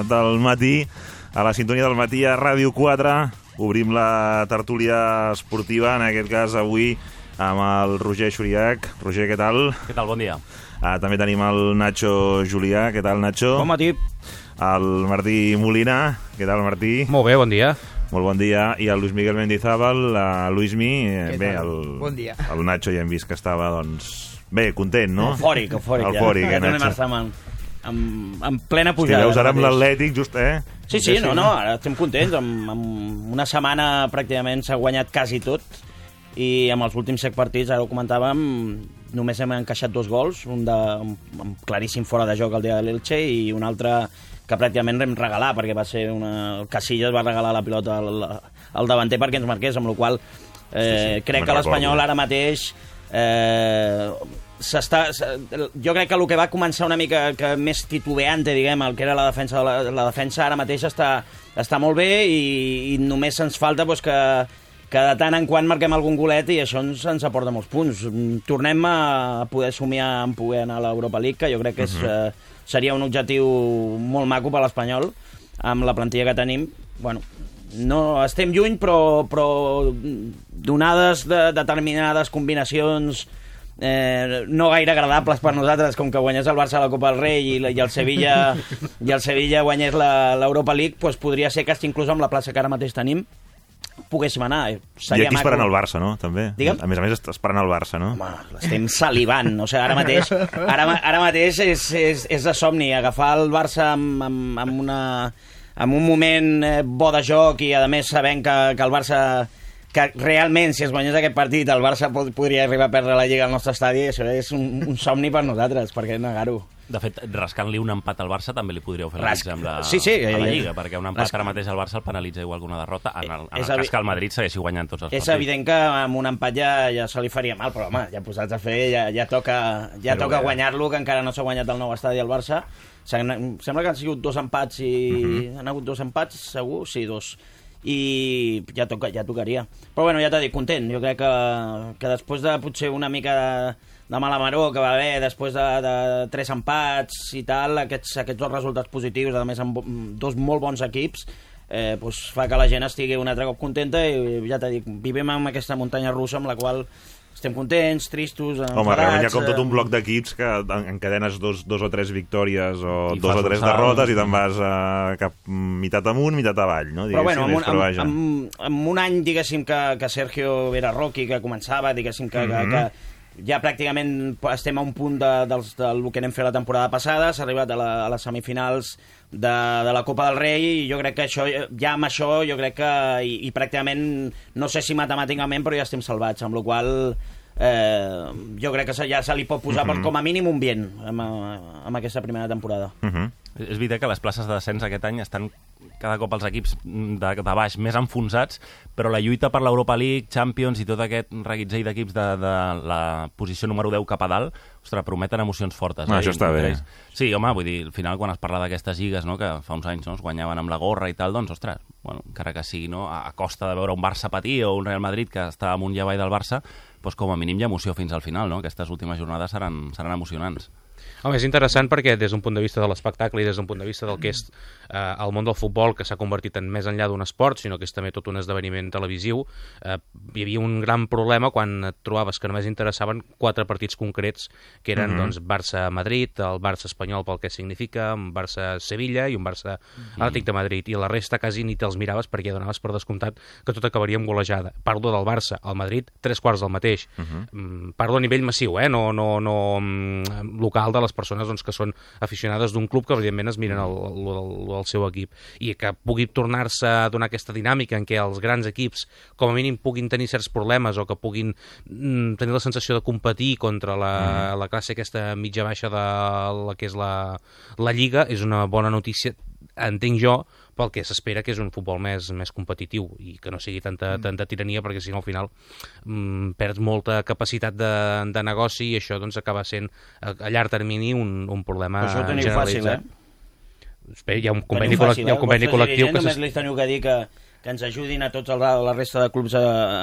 del matí, a la sintonia del matí a Ràdio quatre. Obrim la tertúlia esportiva, en aquest cas avui amb el Roger Xuriac. Roger, què tal? Què tal? Bon dia. Ah, també tenim el Nacho Julià. Què tal, Nacho? Bon matí. El Martí Molina. Què tal, Martí? Molt bé, bon dia. Molt bon dia. I el Luis Miguel Mendizábal, a Luismi. Què Bé, tal? el, Bon dia. El Nacho ja hem vist que estava, doncs... Bé, content, no? Eufòric, eufòric, ja. Eufòric, ja. eh, Nacho? Estem en, en, en plena Hosti, pujada. veus ara amb l'Atlètic, just, eh? Sí, sí, no, no, ara estem contents. Amb, amb una setmana pràcticament s'ha guanyat quasi tot i amb els últims set partits, ara ho comentàvem, només hem encaixat dos gols, un de un claríssim fora de joc el dia de l'Elche i un altre que pràcticament vam regalar, perquè va ser una... el Casillas va regalar la pilota al, al davanter perquè ens marqués, amb la qual cosa eh, sí, sí, crec que l'Espanyol ara mateix eh, s'està, jo crec que el que va començar una mica que més titubeante, diguem, el que era la defensa, la, la defensa ara mateix està, està molt bé i, i només ens falta pues, que, que de tant en quant marquem algun golet i això ens, ens aporta molts punts. Tornem a poder somiar en poder anar a l'Europa League, que jo crec que és, uh-huh. eh, seria un objectiu molt maco per l'Espanyol amb la plantilla que tenim. Bueno, no estem lluny, però, però donades de determinades combinacions eh, no gaire agradables per nosaltres, com que guanyés el Barça a la Copa del Rei i, i el Sevilla i el Sevilla guanyés l'Europa League, doncs podria ser que inclús amb la plaça que ara mateix tenim poguéssim anar. Seria I aquí esperant el Barça, no? També. Digue'm? A més a més, esperant el Barça, no? Home, estem salivant. O sigui, ara mateix, ara, ara mateix és, és, és de somni. Agafar el Barça amb, amb, amb, una, amb un moment bo de joc i, a més, sabent que, que el Barça... que realment, si es guanyés aquest partit, el Barça pod podria arribar a perdre la Lliga al nostre estadi. Això és un, un somni per nosaltres, per què negar-ho? De fet, rascant-li un empat al Barça també li podríeu fer la Rasc... amb la, sí, sí, a la ja, ja. Lliga, perquè un empat Rasc... ara mateix al Barça el penalitza igual que una derrota, en el, en el evi... cas que el Madrid segueixi guanyant tots els és partits. És evident que amb un empat ja, ja se li faria mal, però home, ja posats a fer, ja, ja toca, ja però toca guanyar-lo, que encara no s'ha guanyat el nou estadi al Barça. Sembla que han sigut dos empats i... Uh-huh. Han hagut dos empats, segur? Sí, dos. I ja, toca, ja tocaria. Però bueno, ja t'he dit, content. Jo crec que, que després de potser una mica de, de mala maror que va haver, després de, de tres empats i tal, aquests, aquests dos resultats positius, a més amb dos molt bons equips, eh, doncs fa que la gent estigui un altre cop contenta i ja t'he dit, vivim amb aquesta muntanya russa amb la qual estem contents, tristos, enfadats... Home, realment hi ha com tot un bloc d'equips que encadenes dos, dos o tres victòries o I dos o tres un derrotes i te'n vas a cap mitat amunt, mitat avall, no? Però bueno, amb un, però amb, amb, amb un any, diguéssim, que, que Sergio era rookie, que començava, diguéssim, que, mm-hmm. que, que ja pràcticament estem a un punt de, del, del que anem fer la temporada passada, s'ha arribat a, la, a les semifinals de, de la Copa del Rei, i jo crec que això, ja amb això, jo crec que, i, i pràcticament, no sé si matemàticament, però ja estem salvats, amb la qual cosa eh, jo crec que ja se li pot posar mm-hmm. per, com a mínim un bien amb, amb aquesta primera temporada. Mm-hmm. És veritat que les places de descens aquest any estan cada cop els equips de, de baix més enfonsats, però la lluita per l'Europa League, Champions i tot aquest reguitzell d'equips de, de la posició número deu cap a dalt, ostres, prometen emocions fortes. No, eh? això està bé. Sí, home, vull dir, al final quan es parla d'aquestes lligues, no?, que fa uns anys no, es guanyaven amb la gorra i tal, doncs, ostres, bueno, encara que sigui no, a, a costa de veure un Barça patir o un Real Madrid que està amunt i avall del Barça, doncs com a mínim hi ha emoció fins al final, no? Aquestes últimes jornades seran, seran emocionants. Home, és interessant perquè des d'un punt de vista de l'espectacle i des d'un punt de vista del que és eh, el món del futbol, que s'ha convertit en més enllà d'un esport, sinó que és també tot un esdeveniment televisiu, eh, hi havia un gran problema quan et trobaves que només interessaven quatre partits concrets, que eren mm-hmm. doncs, Barça-Madrid, el Barça-Espanyol pel que significa, un Barça-Sevilla i un Barça-Atlètic de Madrid, i la resta quasi ni te'ls miraves perquè donaves per descomptat que tot acabaria amb golejada. Parlo del Barça, el Madrid, tres quarts del mateix. Mm-hmm. Parlo a nivell massiu, eh? no, no, no local de les persones doncs, que són aficionades d'un club que evidentment es miren el, el, el, el seu equip, i que pugui tornar-se a donar aquesta dinàmica en què els grans equips com a mínim puguin tenir certs problemes o que puguin mm, tenir la sensació de competir contra la, mm. la classe aquesta mitja baixa de la que és la, la Lliga, és una bona notícia, entenc jo, pel que s'espera que és un futbol més, més competitiu i que no sigui tanta, tanta tirania, perquè si no al final mm, perds molta capacitat de, de negoci i això doncs acaba sent a, a llarg termini un, un problema això ho generalitzat. Fàcil, eh? Hi ha un conveni, fàcil, hi ha un conveni eh? col·lectiu que... Només li teniu que dir que que ens ajudin a tots el, la resta de clubs a,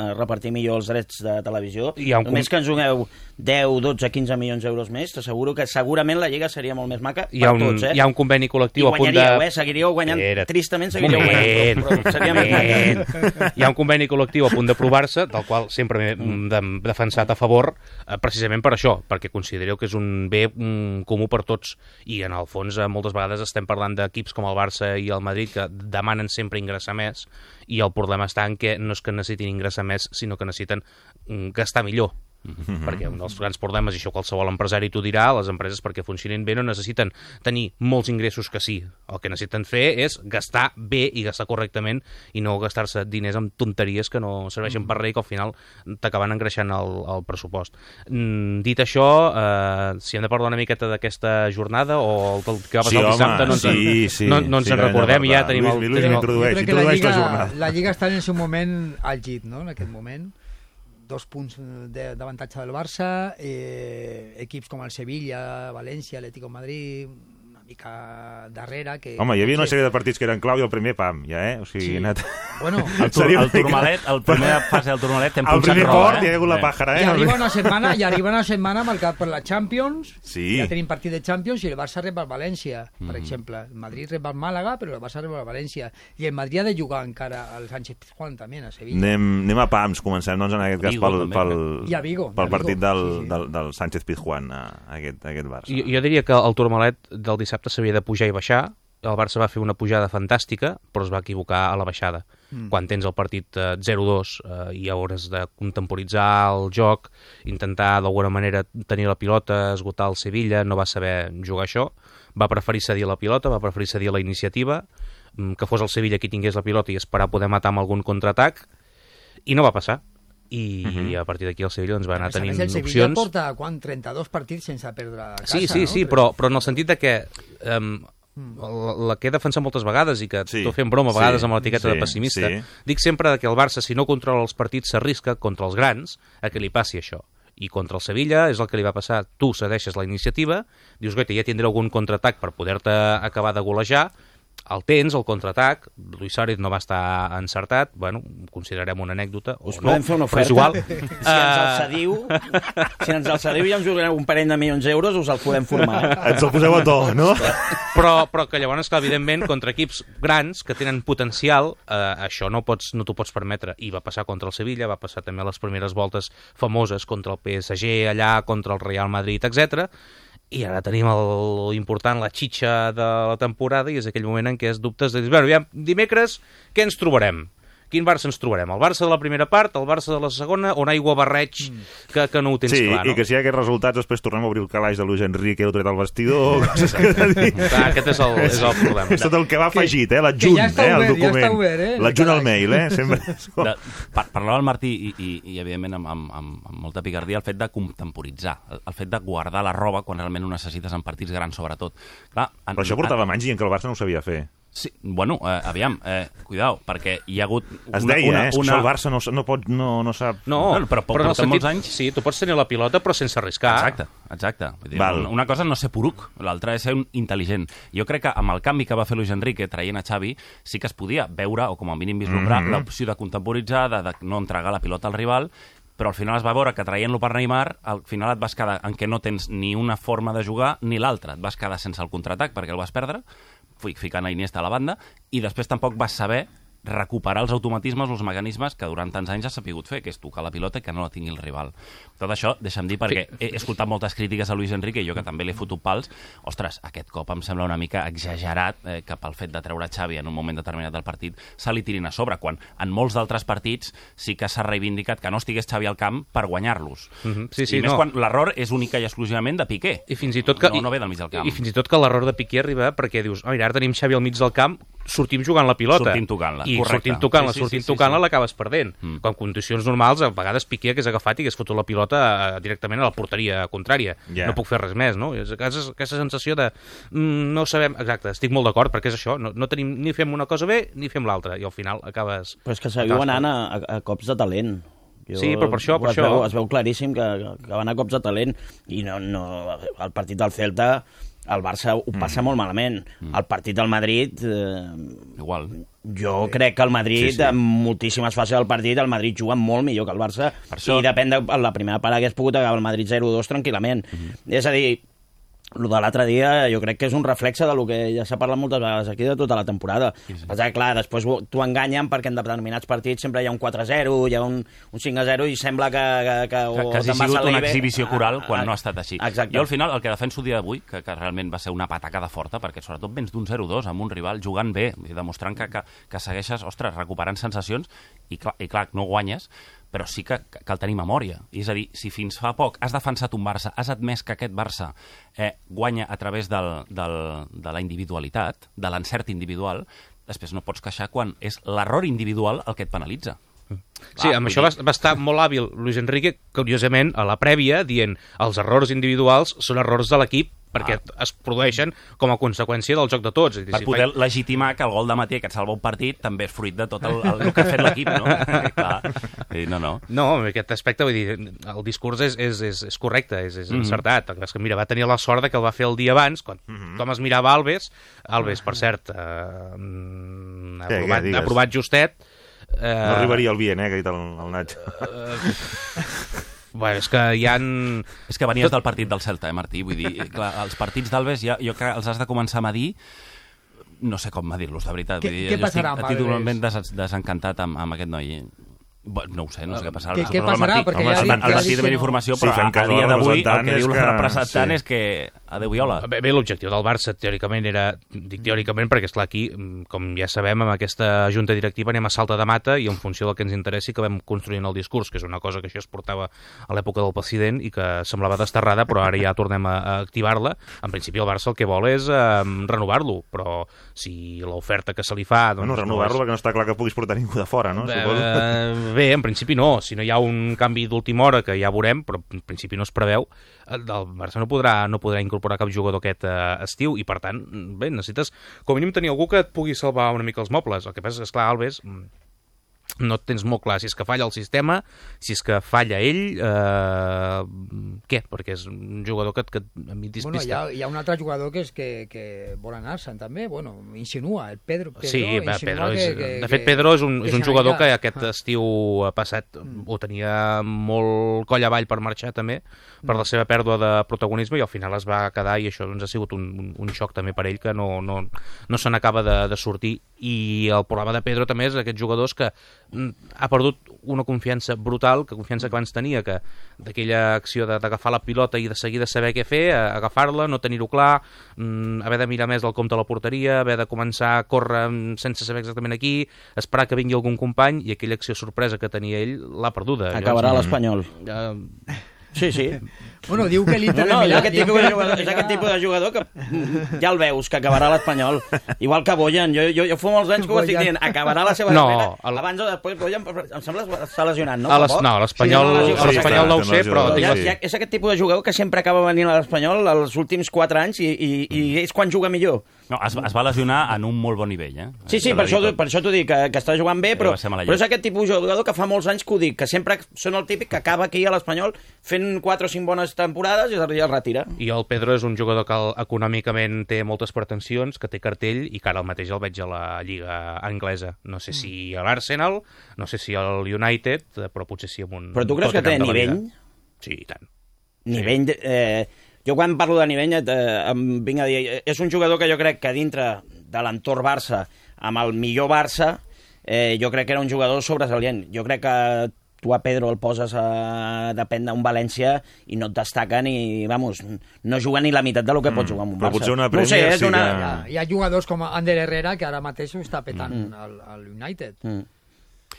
a repartir millor els drets de televisió. Només que ens doneu deu, dotze, quinze milions d'euros més, t'asseguro que segurament la Lliga seria molt més maca per un, tots. Eh? Hi ha un conveni col·lectiu a punt de... Eh? Seguiríeu guanyant, Era... tristament seguiríeu guanyant, però, però seria més maca. Hi ha un conveni col·lectiu a punt d'aprovar-se, del qual sempre m'he de, defensat a favor, eh, precisament per això, perquè considereu que és un bé mm, comú per tots, i en el fons eh, moltes vegades estem parlant d'equips com el Barça i el Madrid que demanen sempre ingressar més, i el problema està en que no és que necessitin ingressar més, sinó que necessiten gastar millor. Mm-hmm. Perquè un dels grans problemes, i això qualsevol empresari t'ho dirà, les empreses perquè funcionin bé no necessiten tenir molts ingressos que sí. El que necessiten fer és gastar bé i gastar correctament i no gastar-se diners amb tonteries que no serveixen per res i que al final t'acaben engreixant el, el pressupost. Mm, dit això, eh, si hem de parlar una miqueta d'aquesta jornada o el que va passar sí, el dissabte, no ens en, sí, sí, no, no ens sí, en recordem, ja tenim el... el... Lluís, tenim el... introdueix, jo crec que la introdueix Lliga, la jornada. la Lliga està en el seu moment al llit, no?, en aquest moment. Dos punts d'avantatge del Barça, eh, equips com el Sevilla, València, Atlético de Madrid, una mica darrere... Que, Home, hi havia una sèrie de partits que eren clau i el primer, pam, ja, eh? O sigui, sí. anat... Bueno, el, tur el Turmalet, el primera fase del Turmalet t'hem punxat roba, eh? El primer port hi ha hagut la pàjara, eh? I arriba una setmana, i arriba una setmana marcat per la Champions, sí. Ja tenim partit de Champions, i el Barça rep el València, per Mm. exemple. El Madrid rep el Màlaga, però el Barça rep el València. I el Madrid ha de jugar encara al Sánchez-Pizjuán, també, a Sevilla. Anem, anem a pams, comencem, doncs, en aquest cas, Vigo, pel, també, pel, I a Vigo, pel a Vigo. partit del, Sí, sí. del, del Sánchez-Pizjuán, aquest, aquest Barça. Jo, jo diria que el Turmalet del dissabte s'havia de pujar i baixar. El Barça va fer una pujada fantàstica, però es va equivocar a la baixada. Mm. Quan tens el partit eh, zero dos eh, i hauràs de contemporitzar el joc, intentar d'alguna manera tenir la pilota, esgotar el Sevilla, no va saber jugar això, va preferir cedir la pilota, va preferir cedir la iniciativa, que fos el Sevilla qui tingués la pilota i esperar poder matar amb algun contraatac, i no va passar. I, uh-huh. i a partir d'aquí el Sevilla doncs, va anar tenint opcions. El Sevilla porta quan, trenta-dos partits sense perdre a casa. Sí, sí, no? sí, però, però en el sentit de que um, la, la que he defensat moltes vegades i que sí. T'ho fem broma a vegades sí. amb l'etiqueta sí. de pessimista, sí. dic sempre que el Barça, si no controla els partits, s'arrisca contra els grans a que li passi això. I contra el Sevilla és el que li va passar. Tu cedeixes la iniciativa, dius, goita, ja tindré algun contraatac per poder-te acabar de golejar, el tens, el contraatac, Luis Suárez no va estar encertat, bueno, considerarem una anècdota. Us no, podem fer una oferta? Però és igual. Si ens el cediu, si ens el cediu i ens jugareu un parell de milions d'euros, us el podem formar. Eh? Ens el poseu a to, no? Però, però que llavors, clar, evidentment, contra equips grans que tenen potencial, eh, això no pots, no t'ho pots permetre. I va passar contra el Sevilla, va passar també a les primeres voltes famoses contra el P S G allà, contra el Real Madrid, etcètera. I ara tenim el important, la xitxa de la temporada, i és aquell moment en què es dubtes de dir, bueno, aviam, dimecres, què ens trobarem? Quin Barça ens trobarem? El Barça de la primera part, el Barça de la segona, o un aigua barreig que, que no ho tens sí, clar, no? I que si hi ha aquests resultats, després tornem a obrir el calaix de Luis Enrique, heu tret el vestidor... Coses que dir. Clar, aquest és el, és el problema. És tot el que va afegit, eh? L'adjunt, ja eh? El obert, document. ja està obert, eh? L'adjunt al mail, eh? Sempre... De, par parlava el Martí i, i, i evidentment amb, amb, amb, amb molta picardia el fet de contemporitzar, el, el fet de guardar la roba quan realment ho necessites en partits grans sobretot. Clar, en, Però això portava anys i en què el Barça no ho sabia fer. Sí, bueno, eh, aviam, eh, cuidao, perquè hi ha hagut... Una, es deia, una, eh? És que una... el Barça no, no, pot, no, no sap... No, bueno, però, però en el sentit, molts anys... Sí, tu pots tenir la pilota però sense arriscar. Exacte, exacte. Vull dir, una, una cosa no ser poruc, l'altra és ser un intel·ligent. Jo crec que amb el canvi que va fer Luis Enrique traient a Xavi sí que es podia veure, o com a mínim vislumbrar, mm -hmm. l'opció de contemporitzar, de, de no entregar la pilota al rival, però al final es va veure que traient-lo per Neymar, al final et vas quedar en què no tens ni una forma de jugar ni l'altra. Et vas quedar sense el contraatac perquè el vas perdre, ficant a Iniesta a la banda, i després tampoc vas saber recuperar els automatismes, els mecanismes que durant tants anys has sapigut fer, que és tocar la pilota i que no la tingui el rival. Tot això, deixa'm dir, perquè he escoltat moltes crítiques a Luis Enrique, i jo que també l'he fotut pals, ostres, aquest cop em sembla una mica exagerat eh, que pel fet de treure Xavi en un moment determinat del partit se li tirin a sobre, quan en molts d'altres partits sí que s'ha reivindicat que no estigués Xavi al camp per guanyar-los. Mm-hmm. Sí, sí, I més no. quan l'error és única i exclusivament de Piqué. I fins i tot que, no, no ve del mig del camp. I, i fins i tot que l'error de Piqué arriba perquè dius, oh, mira, ara tenim Xavi al mig del camp, sortim jugant la pilota. Sortim tocant-la, I correcte. sortim tocant-la, sí, sí, sortim sí, sí, tocant-la, sí. l'acabes perdent. Mm. Quan en condicions normals, a vegades Piqué hagués agafat i hagués fotut la pilota eh, directament a la porteria contrària. Yeah. No puc fer res més, no? És aquesta, aquesta sensació de mm, no sabem... Exacte, estic molt d'acord, perquè és això, no, no tenim, ni fem una cosa bé ni fem l'altra, i al final acabes... Però és que seguiu anant a, a, a cops de talent. Jo, sí, però per això... Per es, això... Veu, es veu claríssim que, que van a cops de talent, i no, no, el partit del Celta... El Barça ho passa mm. molt malament. Mm. El partit del Madrid... Eh, Igual. Jo crec que el Madrid, sí, sí. en moltíssimes fases del partit, el Madrid juga molt millor que el Barça, això... i depèn de la primera part hagués pogut acabar el Madrid zero dos tranquil·lament. Mm -hmm. És a dir, el de l'altre dia jo crec que és un reflexe de lo que ja s'ha parlat moltes vegades aquí de tota la temporada. Sí, sí. Perquè, clar, després t'ho enganyen perquè en determinats partits sempre hi ha un quatre a zero, hi ha un, un cinc a zero i sembla que... Que, que, que, que hagi sigut una exhibició coral quan a, a, no ha estat així. Exacte. Jo al final el que defenso el dia d'avui, que, que realment va ser una patacada forta, perquè sobretot vens d'un zero dos amb un rival jugant bé, demostrant que, que, que segueixes, ostres, recuperant sensacions, i clar, i clar, no guanyes, però sí que cal tenir memòria. És a dir, si fins fa poc has defensat un Barça, has admès que aquest Barça eh, guanya a través del, del, de la individualitat, de l'encert individual, després no pots queixar quan és l'error individual el que et penalitza. Sí, amb això va, va estar molt hàbil Luis Enrique, curiosament, a la prèvia, dient els errors individuals són errors de l'equip, perquè ah. es produeixen com a conseqüència del joc de tots. Per si poder fa... legitimar que el gol de Matí que et salva un partit també és fruit de tot el, el, el que ha fet l'equip, no? Clar. No, no. No, en aquest aspecte, vull dir, el discurs és, és, és, és correcte, és, és mm -hmm. encertat. És que, mira, va tenir la sort que el va fer el dia abans, quan mm -hmm. tothom es mirava Alves, Alves, per cert, eh, ha, aprovat, ha aprovat justet. Eh... No arribaria el bien, eh, que ha dit el, el Nacho. Uh, Bueno, és que hi ha... És que venies del partit del Celta, eh, Martí? Vull dir, clar, els partits d'Alves ja, jo crec que els has de començar a medir, no sé com medir-los, de veritat. Què, Vull dir, què passarà amb Alves? Estic totalment des, desencantat amb, amb aquest noi. No ho sé, no sé què passarà. Què, què passarà? Martí, perquè home, ja el Martí també informació, però sí, a, a dia d'avui el que diu el representant és que adeu viola. Bé, bé l'objectiu del Barça, teòricament, era... Dic teòricament perquè, esclar, aquí, com ja sabem, amb aquesta junta directiva anem a salta de mata i en funció del que ens interessi que vam construint el discurs, que és una cosa que això es portava a l'època del president i que semblava desterrada, però ara ja tornem a, a activar-la. En principi el Barça el que vol és eh, renovar-lo, però si l'oferta que se li fa... Doncs, bueno, renovar-lo no és... perquè no està clar que puguis portar ningú de fora, no? Bé, bé, en principi no. Si no hi ha un canvi d'última hora, que ja veurem, però en principi no es preveu, el Barça no podrà, no podrà incorporar cap jugador aquest eh, estiu i, per tant, bé, necessites com a mínim tenir algú que et pugui salvar una mica els mobles. El que passa és que, esclar, Alves no tens molt clar si és que falla el sistema, si és que falla ell, eh, què? Perquè és un jugador que, que a mi despista. Bueno, hi ha, hi ha un altre jugador que és que, que vol anar-se'n també, bueno, insinua, el Pedro. Pedro sí, va, Pedro és, que, que, de fet Pedro és un, que és un jugador que aquest ah. estiu passat mm. ho tenia molt coll avall per marxar també, per la seva pèrdua de protagonisme, i al final es va quedar, i això doncs, ha sigut un, un, un xoc també per ell, que no, no, no se n'acaba de, de sortir. I el problema de Pedro també és aquests jugadors que ha perdut una confiança brutal, que confiança que abans tenia, que d'aquella acció d'agafar la pilota i de seguida saber què fer, agafar-la, no tenir-ho clar, haver de mirar més del compte a la porteria, haver de començar a córrer sense saber exactament aquí, esperar que vingui algun company, i aquella acció sorpresa que tenia ell l'ha perduda. Acabarà Llavors, l'Espanyol. Uh, Sí, sí. Bueno, diu que l'Inter no, no, de Milà... És aquest, tipus de jugador, és aquest tipus de jugador que ja el veus, que acabarà l'Espanyol. Igual que Boyan. Jo, jo, jo fa molts anys que ho estic dient. Acabarà la seva no, carrera. El... Abans o després, Boyan, em sembla que està lesionat, no? A les, no, l'Espanyol sí, no, sí, no ho sé, però... Ja, ja, és aquest tipus de jugador que sempre acaba venint a l'Espanyol els últims quatre anys i, i, i és quan juga millor. No, es, es va lesionar en un molt bon nivell, eh? Sí, sí, per això, per això t'ho dic, que, que està jugant bé, però, però és aquest tipus de jugador que fa molts anys que ho dic, que sempre són el típic que acaba aquí a l'Espanyol fent quatre o cinc bones temporades i es retira. I el Pedro és un jugador que econòmicament té moltes pretensions, que té cartell, i que ara el mateix el veig a la Lliga Anglesa. No sé si a l'Arsenal, no sé si al United, però potser sí amb un... Però tu creus que té nivell? Sí, i tant. Nivell... De, eh... Jo quan parlo de nivell eh, em vinc a dir, és un jugador que jo crec que dintre de l'entorn Barça, amb el millor Barça, eh, jo crec que era un jugador sobresalient. Jo crec que tu a Pedro el poses a depèn d'un València i no et destaca ni, vamos, no juga ni la meitat del que pot jugar amb un Però Barça. potser una Premier no sé, és sí una... que... Hi ha, hi ha jugadors com Ander Herrera que ara mateix ho està petant mm. al, al United. Mm.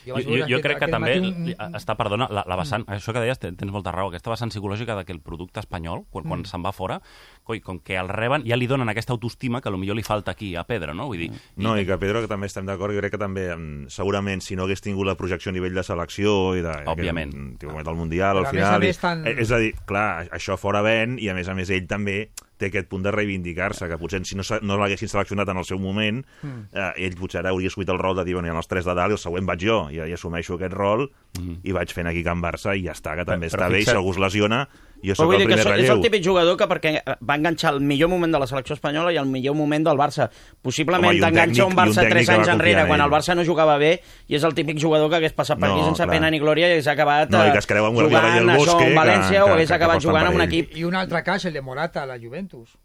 Jo, jo, jo crec que també un... està, perdona, la, la vessant, mm. això que deies, tens molta raó, aquesta vessant psicològica de que el producte espanyol, quan, quan mm. se'n va fora, coi, com que el reben, ja li donen aquesta autoestima que potser li falta aquí a Pedro, no? Vull dir, no, i, i que Pedro, que també estem d'acord, jo crec que també, segurament, si no hagués tingut la projecció a nivell de selecció i de... Òbviament. Que, del Mundial, al final... I, tan... És a dir, clar, això fora ven, i a més a més ell també té aquest punt de reivindicar-se, que potser si no, no l'haguessin seleccionat en el seu moment, mm. eh, ell potser ara hauria assumit el rol de dir, bueno, hi ha els tres de dalt i el següent vaig jo, i, i assumeixo aquest rol, mm. i vaig fent aquí Can Barça, i ja està, que també però, està però bé, i si algú es lesiona, jo soc el primer relleu. És el típic jugador que perquè va enganxar el millor moment de la selecció espanyola i el millor moment del Barça. Possiblement t'enganxa un Barça tres anys enrere, quan el Barça no jugava bé, i és el típic jugador que hagués passat per aquí sense pena ni glòria i hagués acabat no, i que es creu amb jugant el això en València que, o hagués que, acabat que jugant amb un equip. I un altre cas, el de Morata a la Juventus.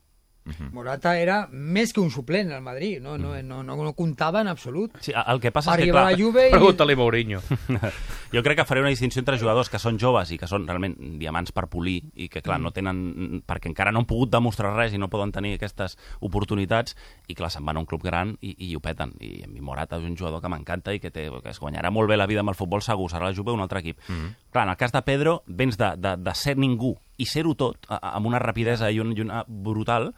Uh-huh. Morata era més que un suplent al Madrid, no, no, no, no, no comptava en absolut. Sí, el que passa és que, clar... I... Pregunta-li Mourinho. Jo crec que faré una distinció entre jugadors que són joves i que són realment diamants per polir i que, clar, mm. no tenen... perquè encara no han pogut demostrar res i no poden tenir aquestes oportunitats i, clar, se'n van a un club gran i, i ho peten. I a mi Morata és un jugador que m'encanta i que, té, que es guanyarà molt bé la vida amb el futbol segur, serà la Juve o un altre equip. Mm. Clar, en el cas de Pedro, vens de, de, de ser ningú i ser-ho tot, a, amb una rapidesa i, un, i una brutal,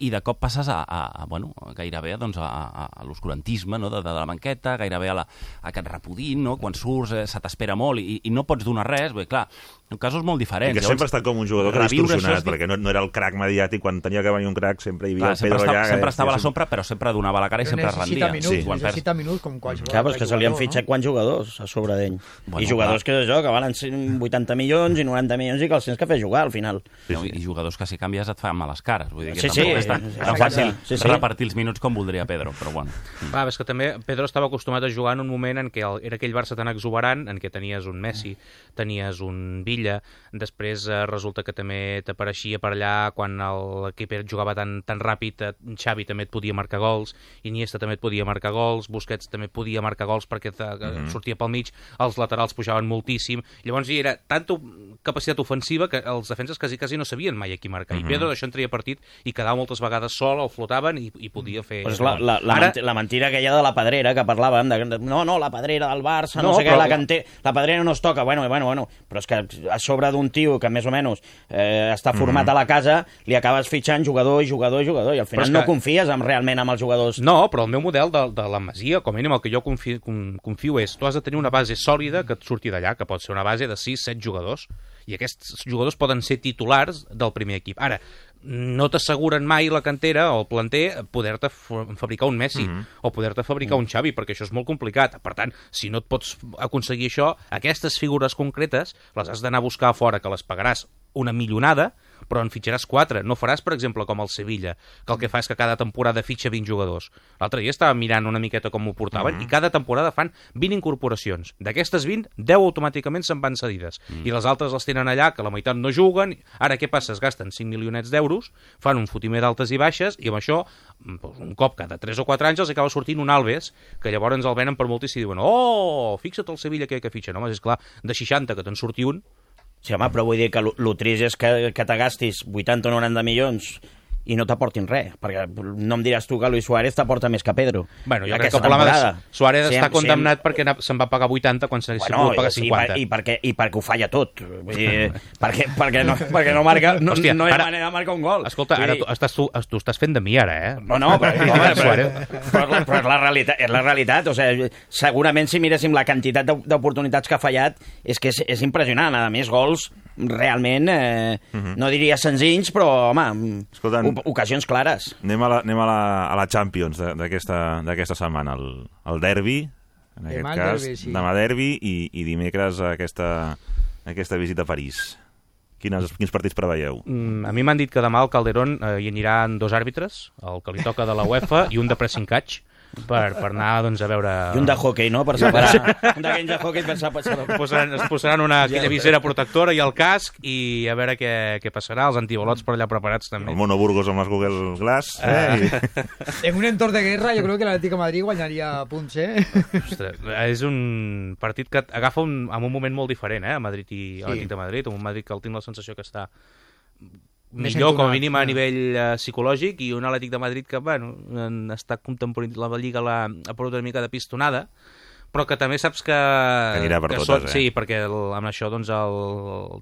i de cop passes a, a, a bueno, gairebé doncs, a, a, a l'oscurantisme, no? de, de la banqueta, gairebé a, la, a aquest repudint, no? Quan surts eh, se t'espera molt i, i no pots donar res, bé, clar, en casos molt diferents. I que sempre ha estat com un jugador que ha distorsionat, perquè no, no era el crac mediàtic, quan tenia que venir un crac sempre hi havia clar, el Pedro estava, allà. Sempre estava a la sombra, però sempre donava la cara i sempre rendia. Minuts, sí. Necessita minuts com qualsevol. Clar, però és que se li han fitxat no? quants jugadors a sobre d'ell. Bueno, I jugadors clar. que és això, que valen vuitanta milions i noranta milions i que els tens que fer jugar al final. Sí, sí. I jugadors que si canvies et fan males cares. Vull dir que sí, sí, és tan, tan fàcil sí, sí. repartir els minuts com voldria Pedro, però bueno. Va, és que també Pedro estava acostumat a jugar en un moment en què el, era aquell Barça tan exuberant, en què tenies un Messi, tenies un Villa, després eh, resulta que també t'apareixia per allà quan l'equip jugava tan, tan ràpid, Xavi també et podia marcar gols, Iniesta també et podia marcar gols, Busquets també podia marcar gols perquè te, mm-hmm. sortia pel mig, els laterals pujaven moltíssim, llavors hi era tanta capacitat ofensiva que els defenses quasi, quasi no sabien mai a qui marcar, mm-hmm. i Pedro d'això en treia partit i quedava moltes vegades sol, el flotaven i, i podia fer... Pues la, la, la, Ara... la mentira aquella de la Pedrera que parlàvem, de, no, no, la Pedrera del Barça, no, no sé però... què, la, canté, la Pedrera no es toca, bueno, bueno, bueno, però és que a sobre d'un tio que més o menys eh, està format mm-hmm. a la casa, li acabes fitxant jugador i jugador i jugador, i al final que... no confies en, realment en els jugadors. No, però el meu model de, de la Masia, com a mínim el que jo confio, confio és, tu has de tenir una base sòlida que et surti d'allà, que pot ser una base de sis set jugadors, i aquests jugadors poden ser titulars del primer equip. Ara, no t'asseguren mai la cantera o el planter poder-te fabricar un Messi mm -hmm. o poder-te fabricar mm. un Xavi, perquè això és molt complicat. Per tant, si no et pots aconseguir això, aquestes figures concretes les has d'anar a buscar a fora, que les pagaràs una milionada, però en fitxaràs quatre. No faràs, per exemple, com el Sevilla, que el que fa és que cada temporada fitxa vint jugadors. L'altre dia estava mirant una miqueta com ho portaven, mm -hmm. i cada temporada fan vint incorporacions. D'aquestes vint, deu automàticament se'n van cedides. Mm. I les altres les tenen allà, que la meitat no juguen. Ara què passa? Es gasten cinc milionets d'euros, fan un fotimer d'altes i baixes, i amb això, un cop cada tres o quatre anys, els acaba sortint un Alves, que llavors el venen per moltíssim i diuen, oh, fixa't el Sevilla que, que fitxa. No, home, és clar, de seixanta que te'n surti un. Sí, home, però vull dir que el trist és que, que te gastis vuitanta o noranta milions i no t'aportin res, perquè no em diràs tu que Luis Suárez t'aporta més que Pedro. Bueno, jo crec que el problema de Suárez sí, està condemnat sí, perquè se'n va pagar vuitanta quan s'ha bueno, pogut pagar cinquanta. I, per, i, perquè, i perquè ho falla tot. Vull dir, perquè, perquè, no, perquè no marca, no, Hòstia, no hi ha ara, manera de marcar un gol. Escolta, ara tu estàs, tu, tu estàs fent de mi ara, eh? No, no, però, no, però, però, però és, la realitat, és la realitat. O sigui, segurament si miréssim la quantitat d'oportunitats que ha fallat és que és, és impressionant. A més, gols realment, eh, uh -huh. no diria senzills, però, home, Escoltant, ocasions clares. Anem a la, anem a la, a la Champions d'aquesta setmana, el, el derbi, en aquest demà cas, derbi, sí. demà derbi, i, i dimecres aquesta, aquesta visita a París. Quines, quins partits preveieu? Mm, a mi m'han dit que demà al Calderón eh, hi aniran dos àrbitres, el que li toca de la UEFA i un de pressing catch, per, per anar doncs, a veure... I un de hockey, no?, per separar. Un d'aquells de hockey per separar. Posaran, es posaran una aquella visera protectora i el casc i a veure què, què passarà, els antibalots per allà preparats també. El Mono Burgos amb les Google Glass. Eh? En un entorn de guerra jo crec que l'Atlètic de Madrid guanyaria punts, eh? Ostres, és un partit que agafa un, en un moment molt diferent, eh, a Madrid i a l'Atlètic sí. de Madrid, un Madrid que el tinc la sensació que està... millor, com a mínim a nivell uh, psicològic, i un Atlètic de Madrid que, bueno, està contemporant la Lliga la, ha perdut una mica de pistonada, però que també saps que... Que anirà per que totes, són, eh? Sí, perquè el, amb això, doncs, el,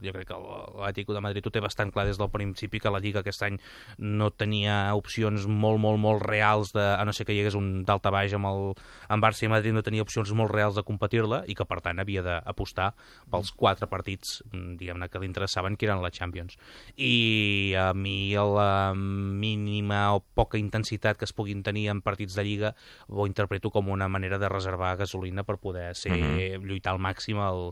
jo crec que l'Atlètic de Madrid ho té bastant clar des del principi, que la Lliga aquest any no tenia opcions molt, molt, molt reals, de, a no ser que hi hagués un daltabaix amb el amb Barça i Madrid, no tenia opcions molt reals de competir-la, i que, per tant, havia d'apostar pels quatre partits, diguem-ne, que li interessaven, que eren la Champions. I a mi la mínima o poca intensitat que es puguin tenir en partits de Lliga ho interpreto com una manera de reservar gasolina per poder ser, uh-huh. lluitar al màxim el,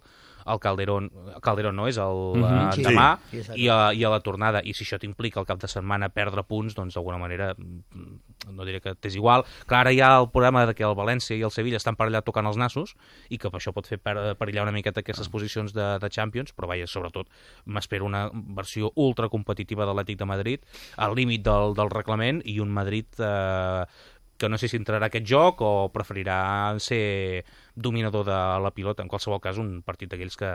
el Calderón, Calderón no és el uh-huh. sí. demà sí. i, a, i a la tornada, i si això t'implica el cap de setmana perdre punts, doncs d'alguna manera no diré que t'és igual. Clar, ara hi ha el problema de que el València i el Sevilla estan per allà tocant els nassos, i que això pot fer per, perillar una miqueta aquestes uh-huh. posicions de, de Champions, però vaja, sobretot m'espero una versió ultra competitiva de l'Atlètic de Madrid, al límit del, del reglament, i un Madrid eh, que no sé si entrarà aquest joc o preferirà ser dominador de la pilota. En qualsevol cas, un partit d'aquells que,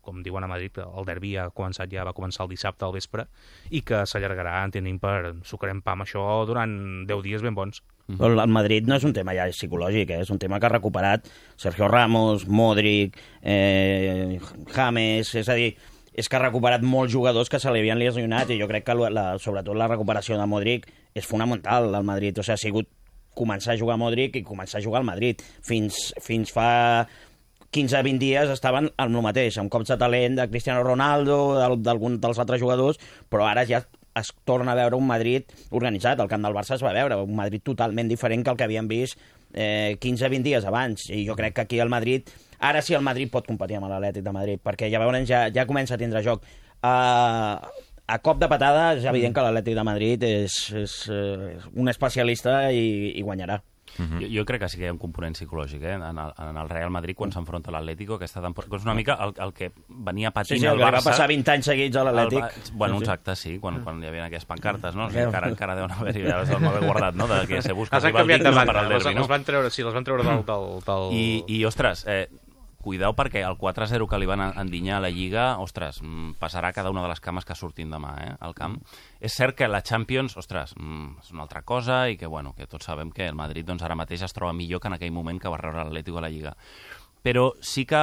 com diuen a Madrid, el derbi ha començat, ja va començar el dissabte al vespre, i que s'allargarà, entenem, per sucarem pa amb això durant deu dies ben bons. Però el Madrid no és un tema ja psicològic, eh? És un tema que ha recuperat Sergio Ramos, Modric, eh, James, és a dir, és que ha recuperat molts jugadors que se li havien lesionat, i jo crec que la, sobretot la recuperació de Modric és fonamental al Madrid. O sigui, ha sigut començar a jugar a Modric i començar a jugar al Madrid. Fins, fins fa quinze a vint dies estaven amb el mateix, amb cops de talent de Cristiano Ronaldo, d'algun dels altres jugadors, però ara ja es torna a veure un Madrid organitzat. Al camp del Barça es va veure un Madrid totalment diferent que el que havíem vist eh, quinze a vint dies abans, i jo crec que aquí el Madrid, ara sí el Madrid pot competir amb l'Atlètic de Madrid, perquè ja veuen, ja, ja comença a tindre joc. Uh, a cop de patada és evident que l'Atlètic de Madrid és, és, és un especialista i, i guanyarà. Uh-huh. jo, jo crec que sí que hi ha un component psicològic, eh? en, el, en el Real Madrid quan s'enfronta a l'Atlético aquesta temporada, és una mica el, el que venia patint sí, sí, el Barça. Va passar vint anys seguits a l'Atlètic. Bueno, uns actes, sí, quan, quan hi havia aquestes pancartes, no? O sigui, encara, encara deuen haver-hi, ja les vam haver guardat, no? De que se busca els han canviat de banda, les, les van treure, sí, les van treure del... del, del... I, I, ostres, eh, cuidao perquè el quatre a zero que li van endinyar a la Lliga, ostres, passarà cada una de les cames que surtin demà, eh, al camp. Mm. És cert que la Champions, ostres, és una altra cosa, i que, bueno, que tots sabem que el Madrid doncs, ara mateix es troba millor que en aquell moment que va rebre l'Atlético a la Lliga. Però sí que